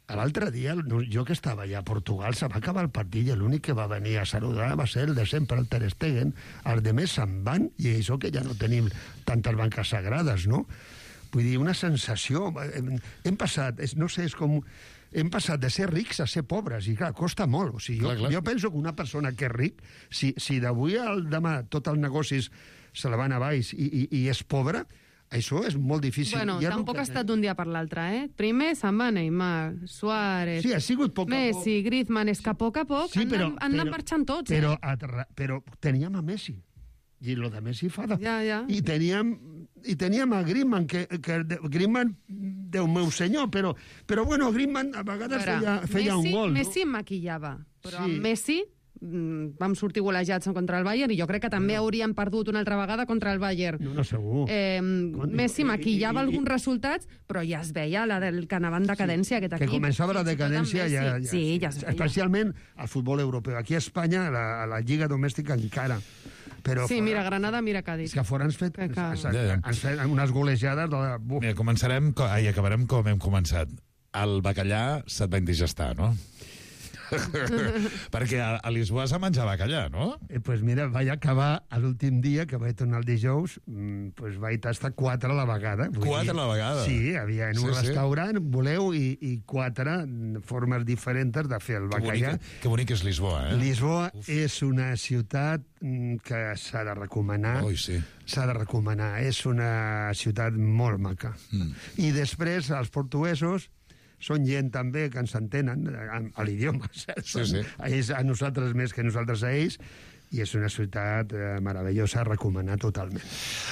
L'altre dia, jo que estava allà a Portugal, se va acabar el partit i l'únic que va venir a saludar va ser el de sempre, el Ter Stegen. Els demés se'n van, i això que ja no tenim tantes banques sagrades, no? Vull dir, una sensació... Hem passat, no sé, és com... Hem passat de ser rics a ser pobres, i clar, costa molt. O sigui, jo, clar, clar. jo penso que una persona que és ric, si, si d'avui al demà tots els negocis se la van a baix i, i, i és pobre... Això és molt difícil. Bueno, ja tampoc ha estat d'un dia per l'altre, eh? Primer se'n va Neymar, Suárez, sí, ha sigut poc Messi, a poc. Griezmann, és que a poc a poc sí, però, han anat marxant tots, però, eh? Però, però teníem a Messi, i lo de Messi fa de... Ja, ja. I teníem, i teníem a Griezmann, que, que Griezmann, Déu meu senyor, però, però bueno, Griezmann a vegades Ara, feia, feia Messi, un gol. Messi no? maquillava, però sí. amb Messi... vam sortir golejats contra el Bayern, i jo crec que també no. hauríem perdut una altra vegada contra el Bayern. No, no, segur. Eh, Messi maquillava alguns resultats, però ja es veia la del que anava en decadència, sí, aquest equip. Que començava la decadència ja, ja, sí, ja es veia. Especialment al futbol europeu. Aquí a Espanya, a la, a la Lliga Domèstica encara. Però sí, fora, mira, Granada, mira Cádiz. És que fora ens fet, que... ens, ens, ens fet unes golejades de... Buf. Mira, començarem, ai, acabarem com hem començat. El bacallà se't va indigestar, no? Perquè a, a Lisboa s'ha menjat bacallà, no? Eh, pues mira, vaig acabar l'últim dia, que vaig tornar el dijous, mmm, pues vaig tastar quatre a la vegada. Quatre a la vegada? Sí, havia en un sí, restaurant, sí. voleu, i, i quatre formes diferents de fer el bacallà. Que bonic, que bonic és Lisboa, eh? Lisboa Uf. és una ciutat que s'ha de recomanar. Ui, sí. S'ha de recomanar. És una ciutat molt maca. Mm. I després, els portuguesos són gent també que ens entenen a l'idioma, sí, sí. Ells a nosaltres més que nosaltres a ells, i és una ciutat eh, meravellosa, a recomanar totalment.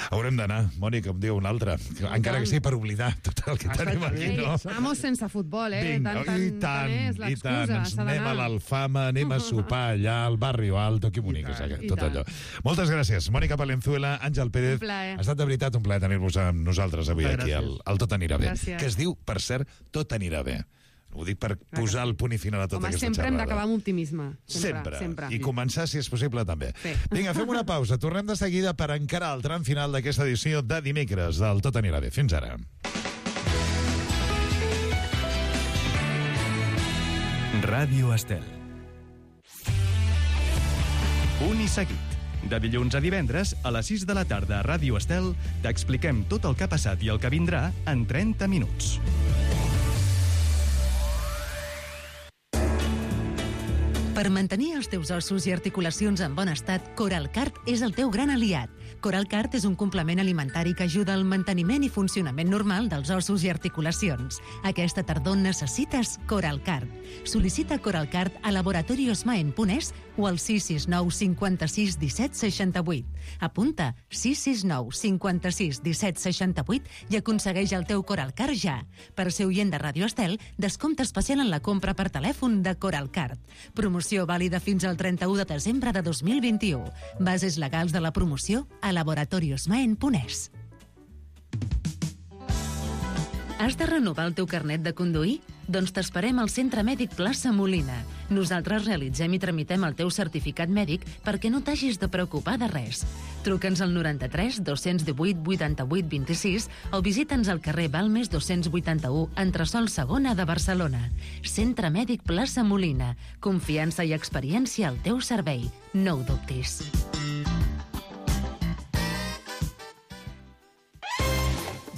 Haurem d'anar, Mònica, em diu una altra, encara que sigui per oblidar tot el que tenim aquí, no? Vamos sense futbol, eh? Vinga, tant, tant, i tant, tant i tant, ens anem a l'Alfama, anem a sopar allà al Barrio Alto, que bonic és aquest, tot allò. Moltes gràcies, Mònica Palenzuela, Àngel Pérez. Ha estat de veritat un plaer tenir-vos amb nosaltres avui aquí, al, al Tot anirà bé. Gràcies. Que es diu, per cert, Tot anirà bé. Ho dic per posar el punt i final a tota Home, aquesta sempre xerrada. hem d'acabar amb optimisme. Sempre, sempre. sempre. I començar, si és possible, també. Sí. Vinga, fem una pausa. Tornem de seguida per encarar el tram final d'aquesta edició de dimecres del Tot anirà bé. Fins ara. Ràdio Estel. Punt i seguit. De dilluns a divendres, a les sis de la tarda a Ràdio Estel, t'expliquem tot el que ha passat i el que vindrà en trenta minuts. Per mantenir els teus ossos i articulacions en bon estat, Coralcart és el teu gran aliat. Coralcart és un complement alimentari que ajuda al manteniment i funcionament normal dels ossos i articulacions. Aquesta tardor necessites Coralcart. Sol·licita Coralcart a laboratoriosmaen punt es o al sis sis nou cinquanta-sis disset seixanta-vuit. Apunta sis sis nou cinquanta-sis disset seixanta-vuit i aconsegueix el teu Coralcart ja. Per ser oient de Ràdio Estel, descompte especial en la compra per telèfon de Coralcart. Promoció vàlida fins al trenta-u de desembre de dos mil vint-i-u. Bases legals de la promoció a laboratoriosmaen punt es. Has de renovar el teu carnet de conduir? Doncs t'esperem al Centre Mèdic Plaça Molina. Nosaltres realitzem i tramitem el teu certificat mèdic perquè no t'hagis de preocupar de res. Truca'ns al noranta-tres dos-cents divuit vuitanta-vuit vint-i-sis o visita'ns al carrer Balmes dos-cents vuitanta-u, entresòl segona de Barcelona. Centre Mèdic Plaça Molina. Confiança i experiència al teu servei. No ho dubtis.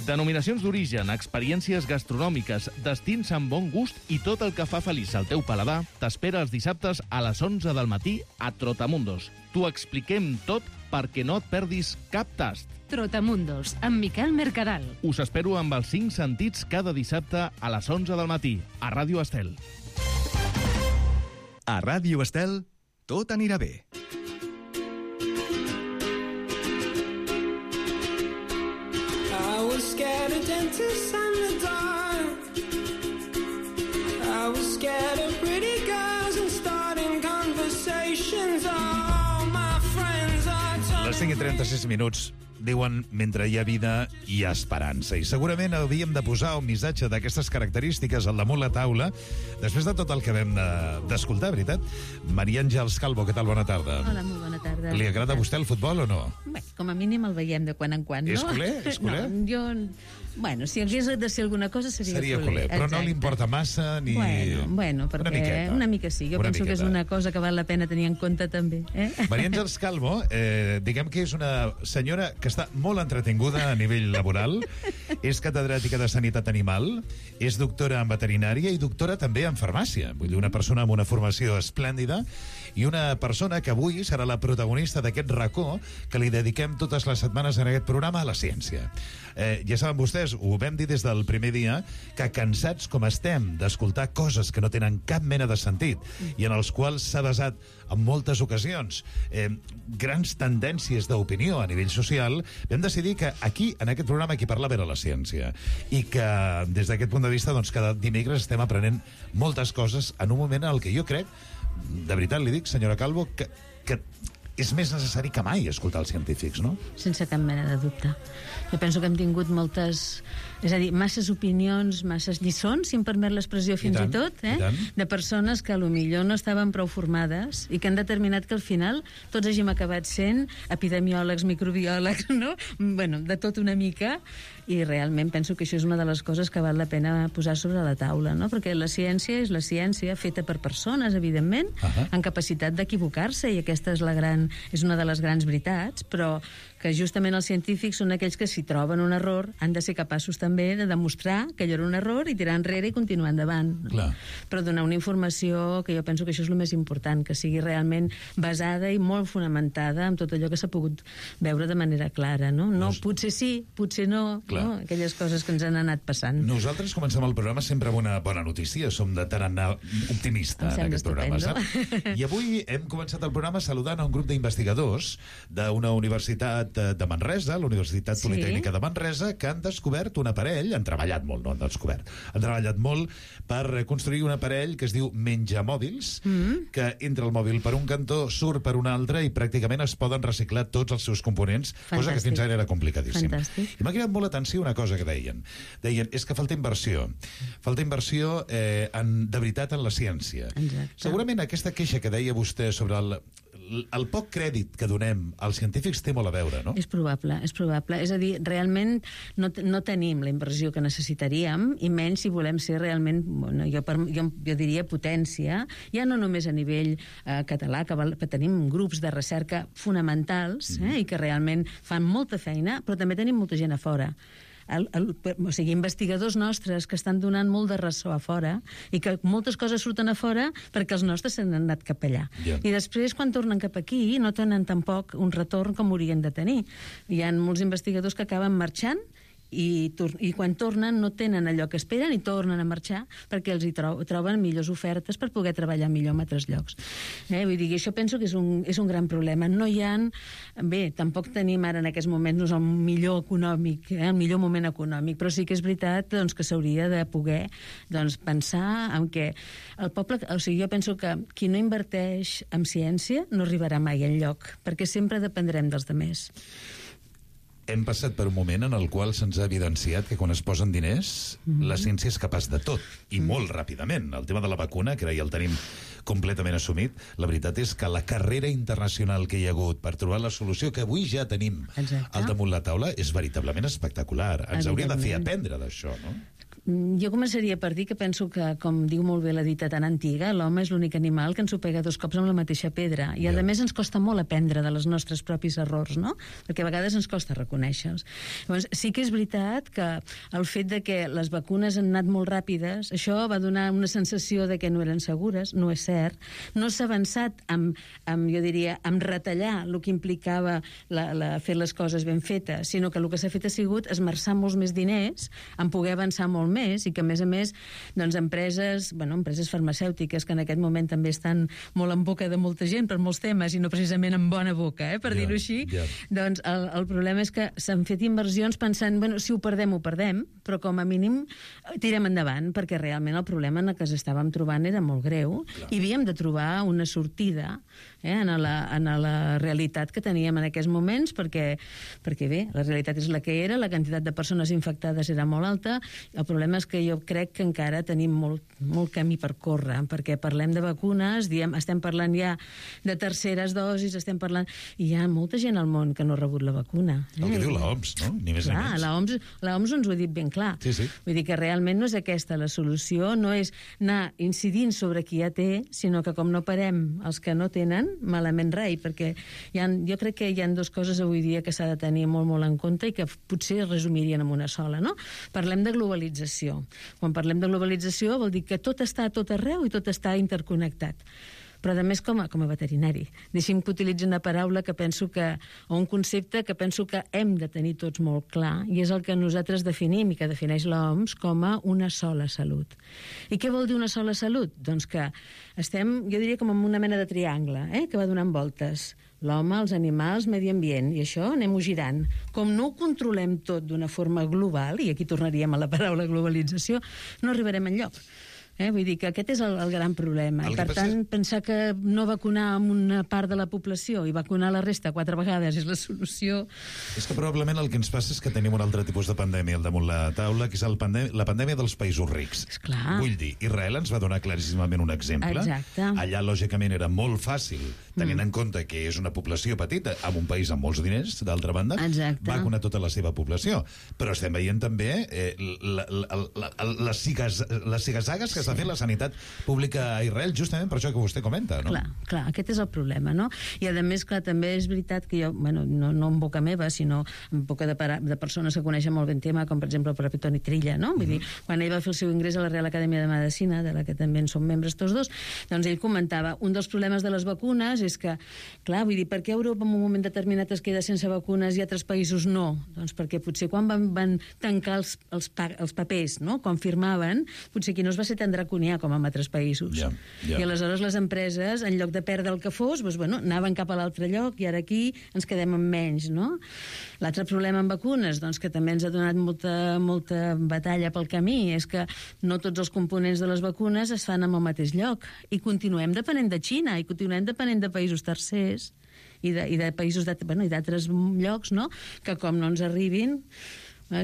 Denominacions d'origen, experiències gastronòmiques, destins amb bon gust i tot el que fa feliç al teu paladar t'espera els dissabtes a les onze del matí a Trotamundos. T'ho expliquem tot perquè no et perdis cap tast. Trotamundos, amb Miquel Mercadal. Us espero amb els cinc sentits cada dissabte a les onze del matí a Ràdio Estel. A Ràdio Estel, tot anirà bé. Scared of dentists and the dark. I was scared of pretty girls and starting conversations. All my friends are telling Les cinc i trenta-sis minuts diuen mentre hi ha vida hi ha esperança. I segurament havíem de posar un missatge d'aquestes característiques al damunt la taula després de tot el que vam d'escoltar, veritat? Maria Àngels Calvo, què tal? Bona tarda. Hola, molt bona tarda. Li agrada a vostè el futbol o no? Bé, com a mínim el veiem de quan en quan, no? És culer? És culer? No, jo... Bueno, si hagués de ser alguna cosa seria, seria culer. culer. Però exacte. No li importa massa ni... Bueno, bueno perquè una, miqueta. una mica sí. Jo una penso miqueta. que és una cosa que val la pena tenir en compte també. Eh? Maria Àngels Calvo, eh, diguem que és una senyora que està molt entretinguda a nivell laboral, és catedràtica de Sanitat Animal, és doctora en veterinària i doctora també en farmàcia. Vull dir, una persona amb una formació esplèndida i una persona que avui serà la protagonista d'aquest racó que li dediquem totes les setmanes en aquest programa a la ciència. Eh, ja saben vostès, ho vam dir des del primer dia, que cansats com estem d'escoltar coses que no tenen cap mena de sentit i en els quals s'ha basat en moltes ocasions eh, grans tendències d'opinió a nivell social, vam decidir que aquí, en aquest programa, qui parlava era la ciència i que des d'aquest punt de vista doncs, cada dimecres estem aprenent moltes coses en un moment en el que jo crec, de veritat li dic, senyora Calvo, que, que és més necessari que mai escoltar els científics, no? Sense cap mena de dubte. Jo penso que hem tingut moltes... És a dir, masses opinions, masses lliçons, si em permet l'expressió fins i, tant, i tot, eh? I de persones que potser no estaven prou formades i que han determinat que al final tots hàgim acabat sent epidemiòlegs, microbiòlegs, no? Bueno, de tot una mica, i realment penso que això és una de les coses que val la pena posar sobre la taula, no? Perquè la ciència és la ciència feta per persones, evidentment, uh-huh. amb capacitat d'equivocar-se, i aquesta és la gran, és una de les grans veritats, però que justament els científics són aquells que si troben un error han de ser capaços també de demostrar que allò era un error i tirar enrere i continuar endavant. Clar. Però donar una informació que jo penso que això és el més important, que sigui realment basada i molt fonamentada en tot allò que s'ha pogut veure de manera clara, no? No, Nos... potser sí, potser no, no, aquelles coses que ens han anat passant. Nosaltres comencem el programa sempre amb una bona notícia, som de tarannà optimista en aquest programa, saps? I avui hem començat el programa saludant a un grup d'investigadors d'una universitat de Manresa, la Universitat sí. Politècnica de Manresa, que han descobert un aparell, han treballat molt, no han descobert, han treballat molt per construir un aparell que es diu menjamòbils, mm. que entra el mòbil per un cantó, surt per un altre i pràcticament es poden reciclar tots els seus components, Fantàstic. Cosa que fins ara era complicadíssim. Fantàstic. I m'ha cridat molt l'atenció una cosa que deien. Deien, és que falta inversió. Falta inversió eh, en, de veritat en la ciència. Exacte. Segurament aquesta queixa que deia vostè sobre el, el poc crèdit que donem als científics té molt a veure, no? És probable, és probable. És a dir, realment no, no tenim la inversió que necessitaríem, i menys si volem ser realment, bueno, jo, per, jo, jo diria potència, ja no només a nivell eh, català, que, val, que tenim grups de recerca fonamentals, eh, mm. i que realment fan molta feina, però també tenim molta gent a fora. El, el, o sigui, investigadors nostres que estan donant molt de ressò a fora i que moltes coses surten a fora perquè els nostres s'han anat cap allà. Yeah. I després, quan tornen cap aquí, no tenen tampoc un retorn com haurien de tenir. Hi ha molts investigadors que acaben marxant i, i quan tornen no tenen allò que esperen i tornen a marxar perquè els hi tro troben millors ofertes per poder treballar millor en altres llocs. Eh? Vull dir, això penso que és un, és un gran problema. No hi ha... Bé, tampoc tenim ara en aquests moments no és el millor econòmic, eh? el millor moment econòmic, però sí que és veritat doncs, que s'hauria de poder doncs, pensar en què el poble... O sigui, jo penso que qui no inverteix en ciència no arribarà mai enlloc, perquè sempre dependrem dels demés. Hem passat per un moment en el qual se'ns ha evidenciat que quan es posen diners, mm-hmm. la ciència és capaç de tot, i mm. molt ràpidament. El tema de la vacuna, que ara ja el tenim completament assumit, la veritat és que la carrera internacional que hi ha hagut per trobar la solució, que avui ja tenim Exacte. Al damunt la taula, és veritablement espectacular. Ens hauria de fer aprendre d'això, no? Jo començaria per dir que penso que, com diu molt bé la dita tan antiga, l'home és l'únic animal que ens ho pega dos cops amb la mateixa pedra. I, a més, ens costa molt aprendre de les nostres propis errors, no? Perquè a vegades ens costa reconèixer-los. Llavors, sí que és veritat que el fet de que les vacunes han anat molt ràpides, això va donar una sensació de que no eren segures, no és cert. No s'ha avançat amb, amb, jo diria, amb retallar el que implicava la, la, fer les coses ben fetes, sinó que el que s'ha fet ha sigut esmerçar molts més diners en poder avançar molt més, i que a més a més doncs, empreses, bueno, empreses farmacèutiques que en aquest moment també estan molt en boca de molta gent per molts temes i no precisament en bona boca, eh, per yeah, dir-ho així, yeah. doncs el, el problema és que s'han fet inversions pensant, bueno, si ho perdem, ho perdem, però com a mínim tirem endavant, perquè realment el problema en el que ens estàvem trobant era molt greu Clar. I havíem de trobar una sortida eh, en, la, en la realitat que teníem en aquests moments, perquè, perquè bé, la realitat és la que era, la quantitat de persones infectades era molt alta, el problema és que jo crec que encara tenim molt, molt camí per córrer, perquè parlem de vacunes, diem, estem parlant ja de terceres dosis, estem parlant... I hi ha molta gent al món que no ha rebut la vacuna. Eh? El que diu l'O M S, no? Ni més clar, ni menys. La O M S, la O M S ens ho ha dit ben clar. Sí, sí. Vull dir que realment no és aquesta la solució, no és anar incidint sobre qui ja té, sinó que com no parem els que no tenen, malament rei, perquè hi ha, jo crec que hi ha dues coses avui dia que s'ha de tenir molt, molt en compte i que potser es resumirien en una sola, no? Parlem de globalització. Quan parlem de globalització vol dir que tot està a tot arreu i tot està interconnectat. Però a més com a, com a veterinari. Deixi'm que utilitzi una paraula que penso que, o un concepte que penso que hem de tenir tots molt clar, i és el que nosaltres definim i que defineix l'O M S com a una sola salut. I què vol dir una sola salut? Doncs que estem, jo diria, com en una mena de triangle, eh, que va donant voltes. L'home, els animals, medi ambient, i això anem-ho girant. Com no ho controlem tot d'una forma global, i aquí tornaríem a la paraula globalització, no arribarem enlloc. Eh? Vull dir que aquest és el, el gran problema. I, per tant, és... pensar que no vacunar amb una part de la població i vacunar la resta quatre vegades és la solució... És que probablement el que ens passa és que tenim un altre tipus de pandèmia al damunt la taula, que és el pandè la pandèmia dels països rics. Esclar. Vull dir, Israel ens va donar claríssimament un exemple. Exacte. Allà, lògicament, era molt fàcil, tenint mm. en compte que és una població petita, amb un país amb molts diners, d'altra banda, Exacte. vacunar tota la seva població. Però estem veient també eh, la, la, la, la, les zigazagues que s'ha fet la sanitat pública a Israel, justament per això que vostè comenta, no? Clar, clar, aquest és el problema, no? I a més, clar, també és veritat que jo, bueno, no, no en boca meva, sinó en boca de, de persones que coneixen molt ben tema, com per exemple el propi Toni Trilla, no? Vull mm-hmm. dir, quan ell va fer el seu ingrés a la Real Acadèmia de Medicina, de la que també en som membres tots dos, doncs ell comentava, un dels problemes de les vacunes és que, clar, vull dir, per què Europa en un moment determinat es queda sense vacunes i altres països no? Doncs perquè potser quan van, van tancar els, els, pa, els papers, no? Quan firmaven, potser aquí no es va ser tan draconià com en altres països. Yeah, yeah. I aleshores les empreses, en lloc de perdre el que fos, doncs, bueno, anaven cap a l'altre lloc i ara aquí ens quedem amb menys, no? L'altre problema amb vacunes, doncs, que també ens ha donat molta, molta batalla pel camí, és que no tots els components de les vacunes es fan en el mateix lloc i continuem depenent de Xina i continuem depenent de països tercers i de, i de països d'altres bueno, llocs, no? Que com no ens arribin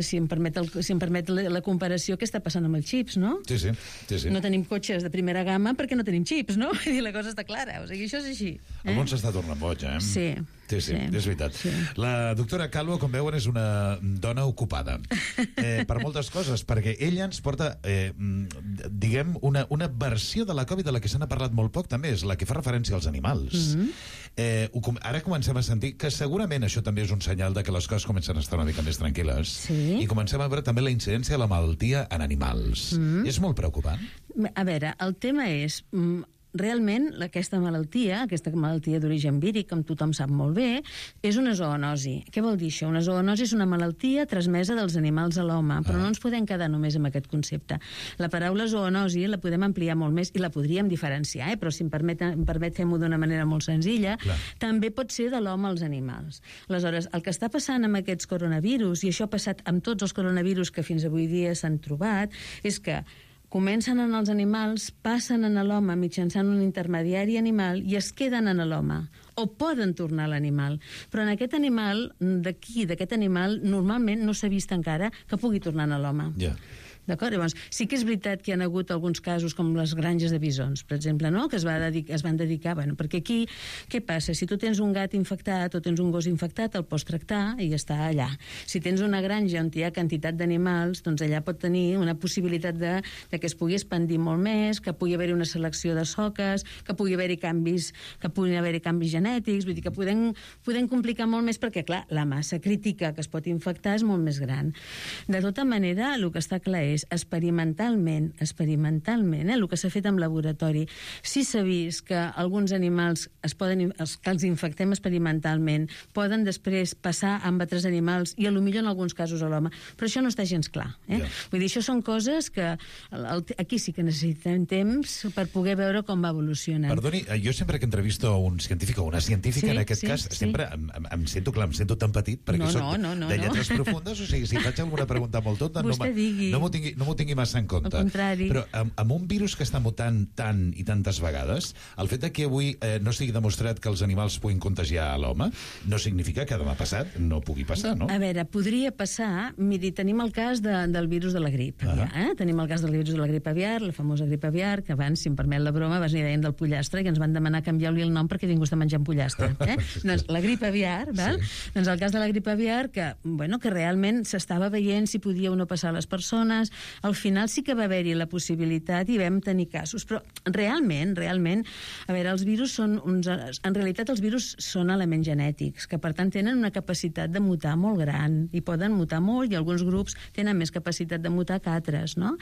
si em permet, el, si em permet la, la comparació, què està passant amb els xips, no? Sí, sí. sí, sí. No tenim cotxes de primera gamma perquè no tenim xips, no? I la cosa està clara, o sigui, això és així. Eh? El món s'està tornant boig, eh? Sí. Sí, sí, sí, és veritat. Sí. La doctora Calvo, com veuen, és una dona ocupada eh, per moltes coses, perquè ella ens porta, eh, diguem, una, una versió de la Covid de la que se n'ha parlat molt poc, també, és la que fa referència als animals. Mm-hmm. eh, ara comencem a sentir que segurament això també és un senyal de que les coses comencen a estar una mica més tranquil·les. Sí. I comencem a veure també la incidència de la malaltia en animals. Mm-hmm. És molt preocupant? A veure, el tema és... Realment, aquesta malaltia, aquesta malaltia d'origen víric, com tothom sap molt bé, és una zoonosi. Què vol dir això? Una zoonosi és una malaltia transmesa dels animals a l'home, però no ens podem quedar només amb aquest concepte. La paraula zoonosi la podem ampliar molt més i la podríem diferenciar, eh? Però si em permet, em permet fer-m'ho d'una manera molt senzilla, clar, també pot ser de l'home als animals. Aleshores, el que està passant amb aquests coronavirus, i això ha passat amb tots els coronavirus que fins avui dia s'han trobat, és que comencen en els animals, passen en l'home mitjançant un intermediari animal i es queden en l'home, o poden tornar a l'animal. Però en aquest animal, d'aquí, d'aquest animal, normalment no s'ha vist encara que pugui tornar a l'home. Ja. Yeah. D'acord? Llavors, sí que és veritat que hi ha hagut alguns casos com les granges de bisons, per exemple, no? Que es, va dedicar, es van dedicar... Bueno, perquè aquí, què passa? Si tu tens un gat infectat o tens un gos infectat, el pots tractar i està allà. Si tens una granja on hi ha quantitat d'animals, doncs allà pot tenir una possibilitat de, de que es pugui expandir molt més, que pugui haver-hi una selecció de soques, que pugui haver-hi canvis, que puguin haver-hi canvis genètics, vull dir que podem, podem complicar molt més perquè, clar, la massa crítica que es pot infectar és molt més gran. De tota manera, el que està clar és experimentalment, experimentalment, eh, el que s'ha fet en laboratori, sí s'ha vist que alguns animals es poden, els que els infectem experimentalment poden després passar amb altres animals i a lo millor en alguns casos a l'home, però això no està gens clar. Eh? Yeah. Vull dir, això són coses que el, el, aquí sí que necessitem temps per poder veure com va evolucionant. Perdoni, jo sempre que entrevisto un científic o una científica, sí, en aquest sí, cas, sí. sempre em, em sento, clar, em sento tan petit perquè no, soc no, no, no, de lletres no. profundes, o sigui, si faig alguna pregunta molt tonta, no, no m'ho tingui no m'ho tingui massa en compte. Al contrari. Però amb, amb un virus que està mutant tant i tantes vegades, el fet que avui eh, no sigui demostrat que els animals puguin contagiar a l'home, no significa que demà passat no pugui passar, no? A veure, podria passar... Miri, tenim el cas de, del virus de la grip aviar, eh? Tenim el cas del virus de la grip aviar, la famosa grip aviar, que abans, si em permet la broma, abans n'hi deien del pollastre, i ens van demanar canviar-li el nom perquè ningú està menjant pollastre. Eh? Doncs la grip aviar, val? Sí. Doncs el cas de la grip aviar, que, bueno, que realment s'estava veient si podia o no passar a les persones. Al final sí que va haver-hi la possibilitat i vam tenir casos, però realment, realment, a veure, els virus són uns... En realitat els virus són elements genètics, que per tant tenen una capacitat de mutar molt gran, i poden mutar molt, i alguns grups tenen més capacitat de mutar que altres, no?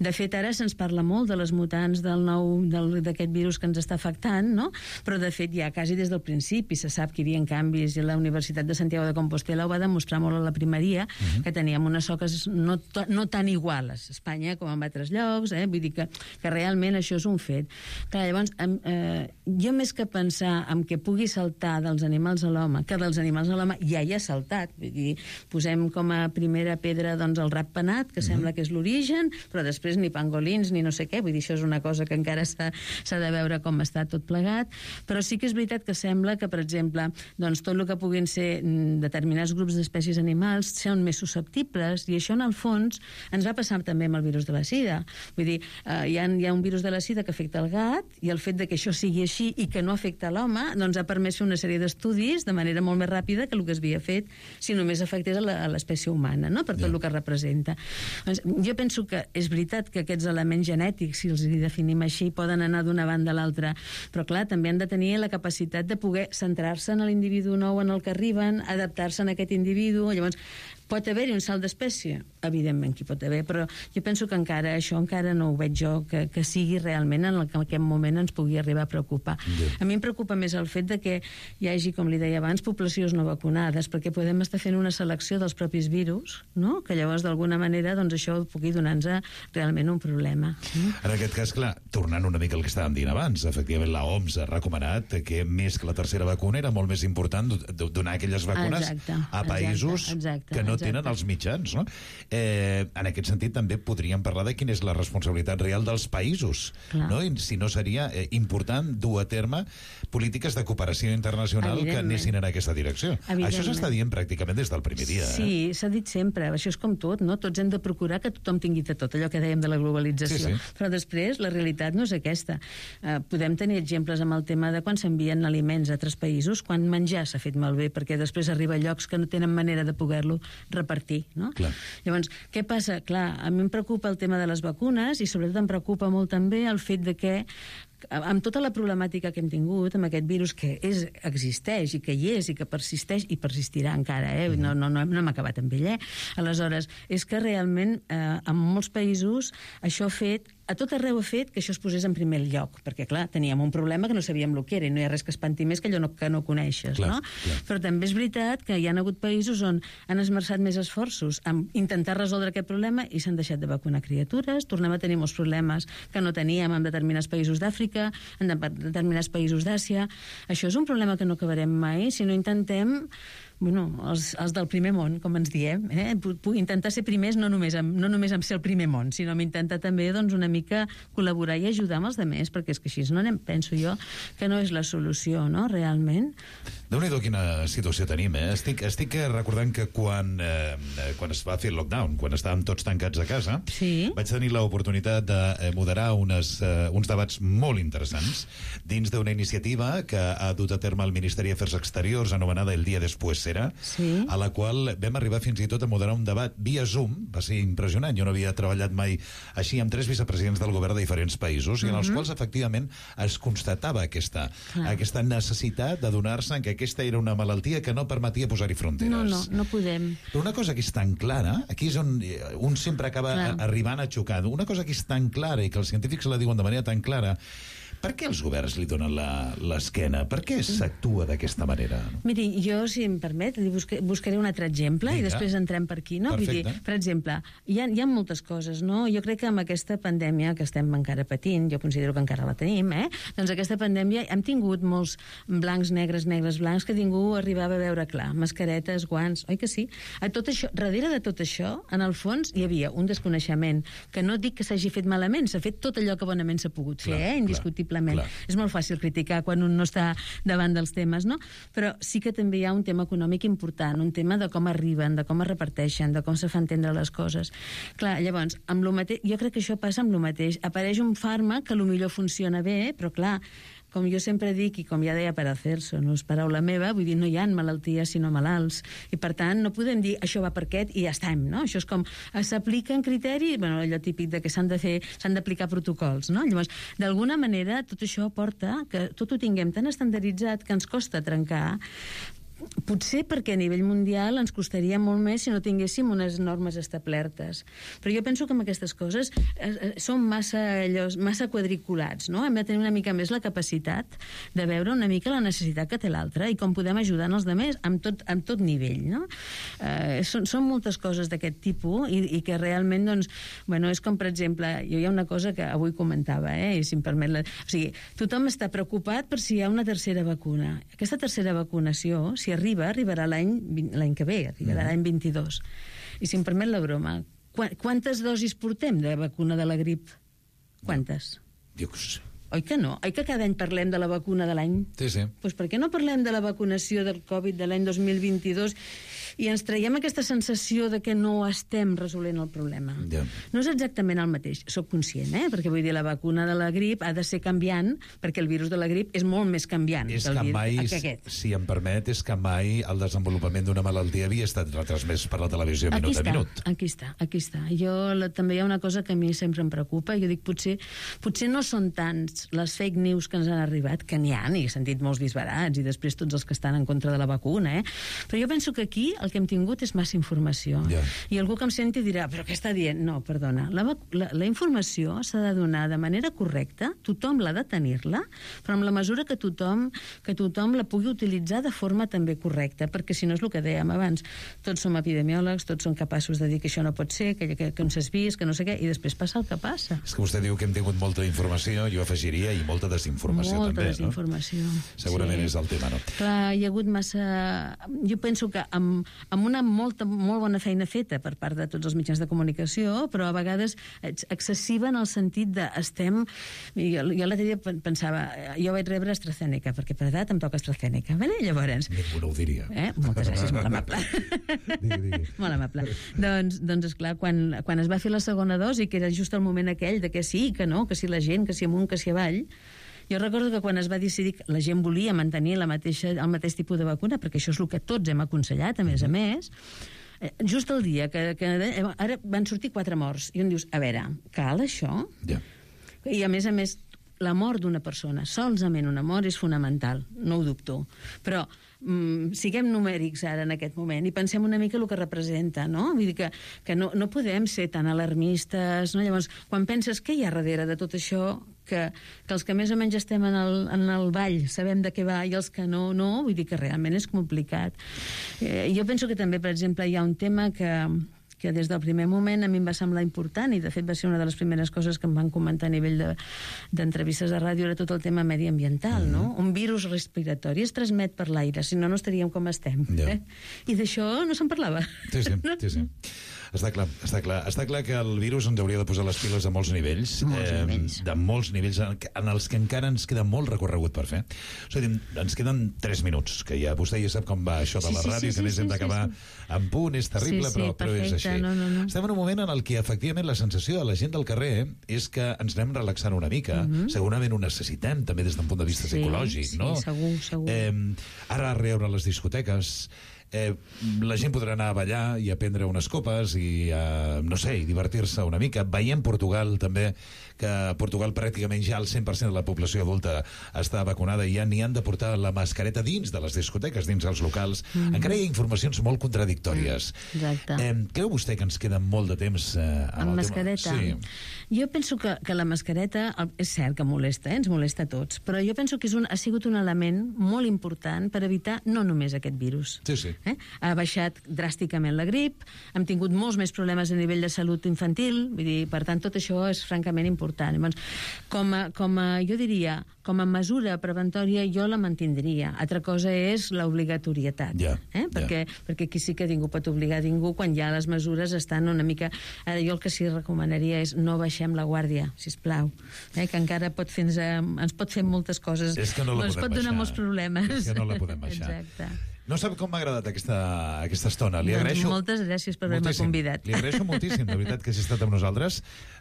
De fet, ara se'ns parla molt de les mutants del nou, d'aquest virus que ens està afectant, no? Però de fet ja quasi des del principi se sap que hi havia canvis, i la Universitat de Santiago de Compostela ho va demostrar molt a la primeria, uh-huh. que teníem unes soques no, no tan iguals a Espanya com en altres llocs, eh? Vull dir que, que realment això és un fet. Clar, llavors, eh, jo més que pensar en que pugui saltar dels animals a l'home, que dels animals a l'home ja hi ha saltat, vull dir, posem com a primera pedra doncs, el rat penat, que mm-hmm. sembla que és l'origen, però després ni pangolins ni no sé què, vull dir, això és una cosa que encara s'ha de veure com està tot plegat, però sí que és veritat que sembla que, per exemple, doncs, tot el que puguin ser determinats grups d'espècies animals són més susceptibles, i això en el fons ens va passar també amb el virus de la sida. Vull dir, eh, hi, ha, hi ha un virus de la sida que afecta el gat, i el fet de que això sigui així i que no afecta l'home, doncs ha permès fer una sèrie d'estudis de manera molt més ràpida que el que es havia fet si només afectés a l'espècie humana, no? Per tot yeah. el que representa. Doncs, jo penso que és veritat que aquests elements genètics, si els definim així, poden anar d'una banda a l'altra, però clar, també han de tenir la capacitat de poder centrar-se en l'individu nou en el que arriben, adaptar-se a aquest individu. Llavors, pot haver-hi un salt d'espècie? Evidentment que hi pot haver, però jo penso que encara això encara no ho veig jo, que, que sigui realment en el que en aquest moment ens pugui arribar a preocupar. Yeah. A mi em preocupa més el fet de que hi hagi, com li deia abans, poblacions no vacunades, perquè podem estar fent una selecció dels propis virus, no? Que llavors d'alguna manera doncs, això pugui donar-nos realment un problema. Mm? En aquest cas, clar, tornant una mica al que estàvem dient abans, efectivament la O M S ha recomanat que més que la tercera vacuna era molt més important donar aquelles vacunes exacte, a països exacte, exacte, que no no tenen els mitjans, no? Eh, en aquest sentit, també podríem parlar de quina és la responsabilitat real dels països, Clar. no? I si no seria eh, important dur a terme polítiques de cooperació internacional que anessin en aquesta direcció. Això s'està dient pràcticament des del primer dia. Sí, eh? s'ha dit sempre, això és com tot, no? Tots hem de procurar que tothom tingui de tot, allò que dèiem de la globalització. Sí, sí. Però després la realitat no és aquesta. Eh, podem tenir exemples amb el tema de quan s'envien aliments a altres països, quan menjar s'ha fet malbé, perquè després arriba a llocs que no tenen manera de poder-lo repartir, no? Clar. Llavors, què passa? Clar, a mi em preocupa el tema de les vacunes i sobretot em preocupa molt també el fet de que amb tota la problemàtica que hem tingut amb aquest virus que és, existeix i que hi és i que persisteix i persistirà encara, eh? no, no, no, no hem acabat amb ell, eh? Aleshores, és que realment eh, en molts països això ha fet, a tot arreu ha fet que això es posés en primer lloc, perquè clar, teníem un problema que no sabíem el que era i no hi ha res que espanti més que allò no, que no coneixes, clar, no? Clar. Però també és veritat que hi ha hagut països on han esmerçat més esforços en intentar resoldre aquest problema i s'han deixat de vacunar criatures, tornem a tenir molts problemes que no teníem en determinats països d'Àfrica, en determinats països d'Àsia. Això és un problema que no acabarem mai si no intentem, bueno, els, els del primer món, com ens diem, eh? intentar ser primers no només, amb, no només amb ser el primer món, sinó amb intentar també doncs, una mica col·laborar i ajudar amb els altres, perquè és que així no anem, penso jo, que no és la solució, no?, realment. Déu-n'hi-do quina situació tenim, eh? Estic, estic recordant que quan, eh, quan es va fer el lockdown, quan estàvem tots tancats a casa, sí. vaig tenir l'oportunitat de moderar unes, uh, uns debats molt interessants dins d'una iniciativa que ha dut a terme el Ministeri d'Afers Exteriors, anomenada El Día Después Será, sí. a la qual vam arribar fins i tot a moderar un debat via Zoom. Va ser impressionant, jo no havia treballat mai així amb tres vicepresidents del govern de diferents països, i en els Mhm. quals efectivament es constatava aquesta, Clar. aquesta necessitat d'adonar-se que aquesta era una malaltia que no permetia posar-hi fronteres. No, no, no podem. Però una cosa que és tan clara, aquí és on un sempre acaba Clar. arribant a xocar, una cosa que és tan clara i que els científics la diuen de manera tan clara, per què els governs li donen l'esquena? Per què s'actua d'aquesta manera? Miri, jo, si em permet, li busque, buscaré un altre exemple Vinga. i després entrem per aquí, no? Vull dir, Perfecte. per exemple, hi ha, hi ha moltes coses, no? Jo crec que amb aquesta pandèmia que estem encara patint, jo considero que encara la tenim, eh? Doncs aquesta pandèmia hem tingut molts blancs, negres, negres, blancs, que ningú arribava a veure clar. Mascaretes, guants, oi que sí? A tot això, darrere de tot això, en el fons, hi havia un desconeixement, que no dic que s'hagi fet malament, s'ha fet tot allò que bonament s'ha pogut fer, Clar, eh? Indiscutiblement. clar. És molt fàcil criticar quan un no està davant dels temes, no? Però sí que també hi ha un tema econòmic important, un tema de com arriben, de com es reparteixen, de com se fa entendre les coses. Clar, llavors, amb lo mateix, jo crec que això passa amb lo mateix. Apareix un fàrmac que potser funciona bé, però clar, com jo sempre dic, i com ja deia Paracelso, no és paraula meva, vull dir, no hi ha malalties sinó malalts, i per tant no podem dir això va per aquest i ja estem, no? Això és com, s'apliquen criteris, bueno, allò típic de que s'han de fer, s'han d'aplicar protocols, no? Llavors, d'alguna manera, tot això porta que tot ho tinguem tan estandarditzat que ens costa trencar. Potser perquè a nivell mundial ens costaria molt més si no tinguéssim unes normes establertes. Però jo penso que amb aquestes coses eh, eh, som massa, allòs, massa quadriculats, no? Hem de tenir una mica més la capacitat de veure una mica la necessitat que té l'altre i com podem ajudar els altres amb tot, amb tot nivell, no? Eh, són, són moltes coses d'aquest tipus i, i que realment, doncs, bueno, és com, per exemple, jo hi ha una cosa que avui comentava, eh, i si em permet la... O sigui, tothom està preocupat per si hi ha una tercera vacuna. Aquesta tercera vacunació, si arriba, arribarà l'any l'any que ve, arribarà l'any vint-i-dos. I si em permet la broma, quantes dosis portem de vacuna de la grip? Quantes? Jo que sé. Oi que no? Oi que cada any parlem de la vacuna de l'any? Sí, sí. Doncs per què no parlem de la vacunació del Covid de l'any dos mil vint-i-dos i ens traiem aquesta sensació de que no estem resolent el problema? Ja. No és exactament el mateix, soc conscient, eh? Perquè vull dir, la vacuna de la grip ha de ser canviant, perquè el virus de la grip és molt més canviant És del que virus mai, que aquest. si em permet, és que mai el desenvolupament d'una malaltia havia estat retransmès per la televisió Aquí minut està, a minut. aquí està, aquí està. Jo, la, també hi ha una cosa que a mi sempre em preocupa, jo dic, potser, potser no són tants les fake news que ens han arribat, que n'hi ha, i he sentit molts disbarats, i després tots els que estan en contra de la vacuna, eh? Però jo penso que aquí el que hem tingut és massa informació. Ja. I algú que em senti dirà, però què està dient? No, perdona, la, la, la informació s'ha de donar de manera correcta, tothom l'ha de tenir-la, però amb la mesura que tothom, que tothom la pugui utilitzar de forma també correcta, perquè si no és el que dèiem abans, tots som epidemiòlegs, tots som capaços de dir que això no pot ser, que, que, que on s'has vist, que no sé què, i després passa el que passa. És que vostè diu que hem tingut molta informació, jo afegia afegiria, i molta desinformació molta també, desinformació. no? Segurament sí. és el tema, no? Clar, hi ha hagut massa... Jo penso que amb, amb una molta, molt bona feina feta per part de tots els mitjans de comunicació, però a vegades excessiva en el sentit de estem... Jo, jo l'altre dia pensava, jo vaig rebre AstraZeneca, perquè per edat em toca AstraZeneca. Vale? Llavors... Ningú no ho diria. Eh? Moltes gràcies, molt amable. digui, digui. Molt amable. doncs, doncs esclar, quan, quan es va fer la segona dosi, que era just el moment aquell de que sí, que no, que si la gent, que si amunt, que si avall, jo recordo que quan es va decidir que la gent volia mantenir la mateixa, el mateix tipus de vacuna, perquè això és el que tots hem aconsellat, a més a més, just el dia que, que ara van sortir quatre morts, i on dius, a veure, cal això? Ja. I a més a més, la mort d'una persona, solament una mort, és fonamental, no ho dubto. Però mm, siguem numèrics ara en aquest moment i pensem una mica el que representa, no? Vull dir que, que no, no podem ser tan alarmistes, no? Llavors, quan penses què hi ha darrere de tot això, que, que els que més o menys estem en el, en el ball sabem de què va i els que no, no, vull dir que realment és complicat. Eh, jo penso que també, per exemple, hi ha un tema que... que des del primer moment a mi em va semblar important, i de fet va ser una de les primeres coses que em van comentar a nivell d'entrevistes de, de ràdio, era tot el tema mediambiental, mm-hmm. no? Un virus respiratori es transmet per l'aire, si no, no estaríem com estem. Yeah. Eh? I d'això no se'n parlava. Sí, sí, sí, sí. Està clar, està clar. Està clar que el virus ens hauria de posar les piles a molts nivells, molts eh, nivells. de molts nivells, en els que encara ens queda molt recorregut per fer. O sigui, ens queden tres minuts, que ja vostè ja sap com va això de la sí, sí, ràdio, sí, que més sí, hem d'acabar sí, sí. en punt, és terrible, sí, sí, però, però és així. No, no, no. Estem en un moment en el que, efectivament, la sensació de la gent del carrer és que ens anem relaxant una mica, uh-huh. segurament ho necessitem, també des d'un punt de vista sí, psicològic, sí, no? Sí, segur, segur. Eh, ara a reobre les discoteques... Eh, la gent podrà anar a ballar i a prendre unes copes i, eh, no sé, i divertir-se una mica. Veiem Portugal també, que a Portugal pràcticament ja el cent per cent de la població adulta està vacunada i ja n'hi han de portar la mascareta dins de les discoteques, dins dels locals. Mm-hmm. Encara hi ha informacions molt contradictòries. Exacte. Eh, creu vostè que ens queda molt de temps eh, amb mascareta? Sí. Jo penso que, que la mascareta és cert que molesta, eh? Ens molesta a tots, però jo penso que és un, ha sigut un element molt important per evitar no només aquest virus. Sí, sí. Eh? Ha baixat dràsticament la grip, hem tingut molts més problemes a nivell de salut infantil, vull dir, per tant, tot això és francament important. Llavors, com a, com a, jo diria, com a mesura preventòria jo la mantindria. Altra cosa és l'obligatorietat. Yeah, eh? perquè, yeah. perquè aquí sí que ningú pot obligar a ningú quan ja les mesures estan una mica... Ara, jo el que sí recomanaria és no baixem la guàrdia, sisplau, eh? que encara pot fer, ens pot fer moltes coses. És que no la ens podem pot donar baixar. molts problemes. És que no la podem baixar. Exacte. No sap com m'ha agradat aquesta, aquesta estona. Li doncs agraeixo... moltes gràcies per haver-me convidat. Li agraeixo moltíssim, de veritat, que hagi estat amb nosaltres.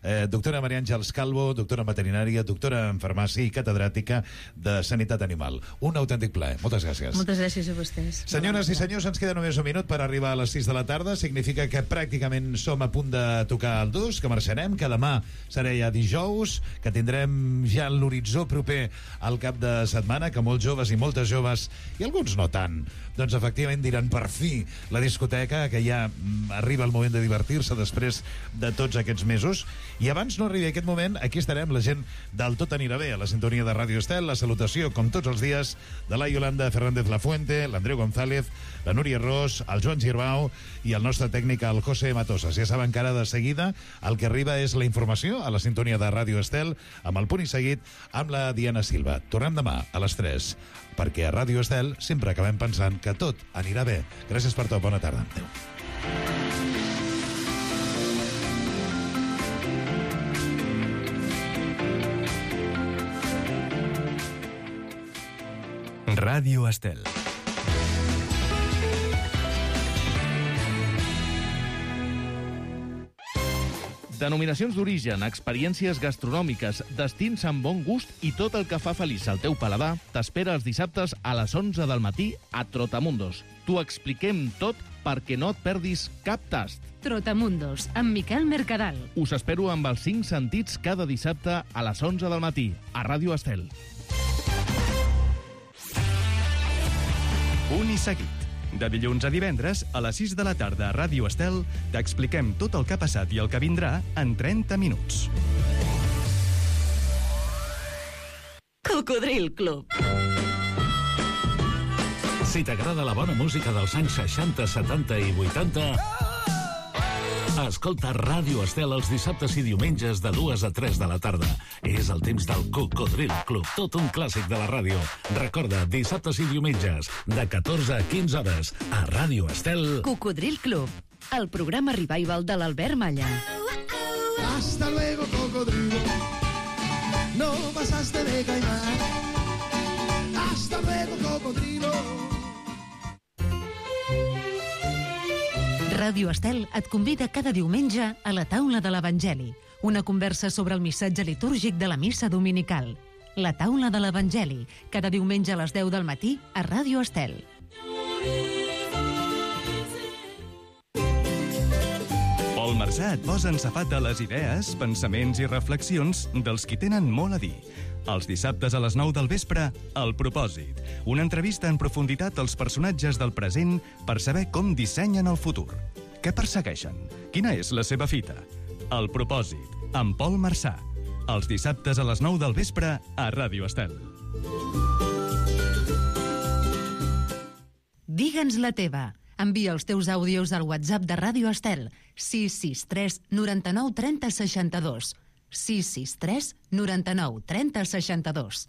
Eh, doctora Maria Àngels Calvo, doctora en veterinària, doctora en farmàcia i catedràtica de Sanitat Animal. Un autèntic plaer. Moltes gràcies. Moltes gràcies a vostès. Senyores i senyors, ens queda només un minut per arribar a les sis de la tarda. Significa que pràcticament som a punt de tocar el dos, que marxarem, que demà serà ja dijous, que tindrem ja l'horitzó proper al cap de setmana, que molts joves i moltes joves, i alguns no tant, doncs efectivament diran per fi la discoteca, que ja arriba el moment de divertir-se després de tots aquests mesos. I abans no arribi aquest moment, aquí estarem la gent del Tot anirà bé, a la sintonia de Ràdio Estel, la salutació, com tots els dies, de la Yolanda Fernández Lafuente, l'Andreu González, la Núria Ros, el Joan Girbau i el nostre tècnic, el José Matosas. Ja saben que ara de seguida el que arriba és la informació a la sintonia de Ràdio Estel, amb el punt i seguit amb la Diana Silva. Tornem demà a les tres, perquè a Ràdio Estel sempre acabem pensant que tot anirà bé. Gràcies per tot, bona tarda. Adéu. Ràdio Estel. Denominacions d'origen, experiències gastronòmiques, destins amb bon gust i tot el que fa feliç al teu paladar t'espera els dissabtes a les onze del matí a Trotamundos. T'ho expliquem tot perquè no et perdis cap tast. Trotamundos, amb Miquel Mercadal. Us espero amb els cinc sentits cada dissabte a les onze del matí a Ràdio Estel. Punt i seguit. De dilluns a divendres, a les sis de la tarda a Ràdio Estel, t'expliquem tot el que ha passat i el que vindrà en trenta minuts. Cocodril Club. Si t'agrada la bona música dels anys seixanta, setanta i vuitanta... Escolta Ràdio Estel els dissabtes i diumenges de dues a tres de la tarda. És el temps del Cocodril Club, tot un clàssic de la ràdio. Recorda, dissabtes i diumenges, de catorze a quinze hores, a Ràdio Estel. Cocodril Club, el programa revival de l'Albert Malla. Hasta luego, cocodrilo. No pasaste de caimán. Hasta luego, cocodrilo. Ràdio Estel et convida cada diumenge a la taula de l'Evangeli, una conversa sobre el missatge litúrgic de la missa dominical. La taula de l'Evangeli, cada diumenge a les deu del matí a Ràdio Estel. Pol Marsà et posa en safat de les idees, pensaments i reflexions dels qui tenen molt a dir. Els dissabtes a les nou del vespre, El propòsit. Una entrevista en profunditat als personatges del present per saber com dissenyen el futur. Què persegueixen? Quina és la seva fita? El propòsit, amb Pol Marsà. Els dissabtes a les nou del vespre a Ràdio Estel. Digue'ns la teva. Envia els teus àudios al WhatsApp de Ràdio Estel, sis sis tres noranta-nou trenta seixanta-dos. sis sis tres noranta-nou trenta seixanta-dos.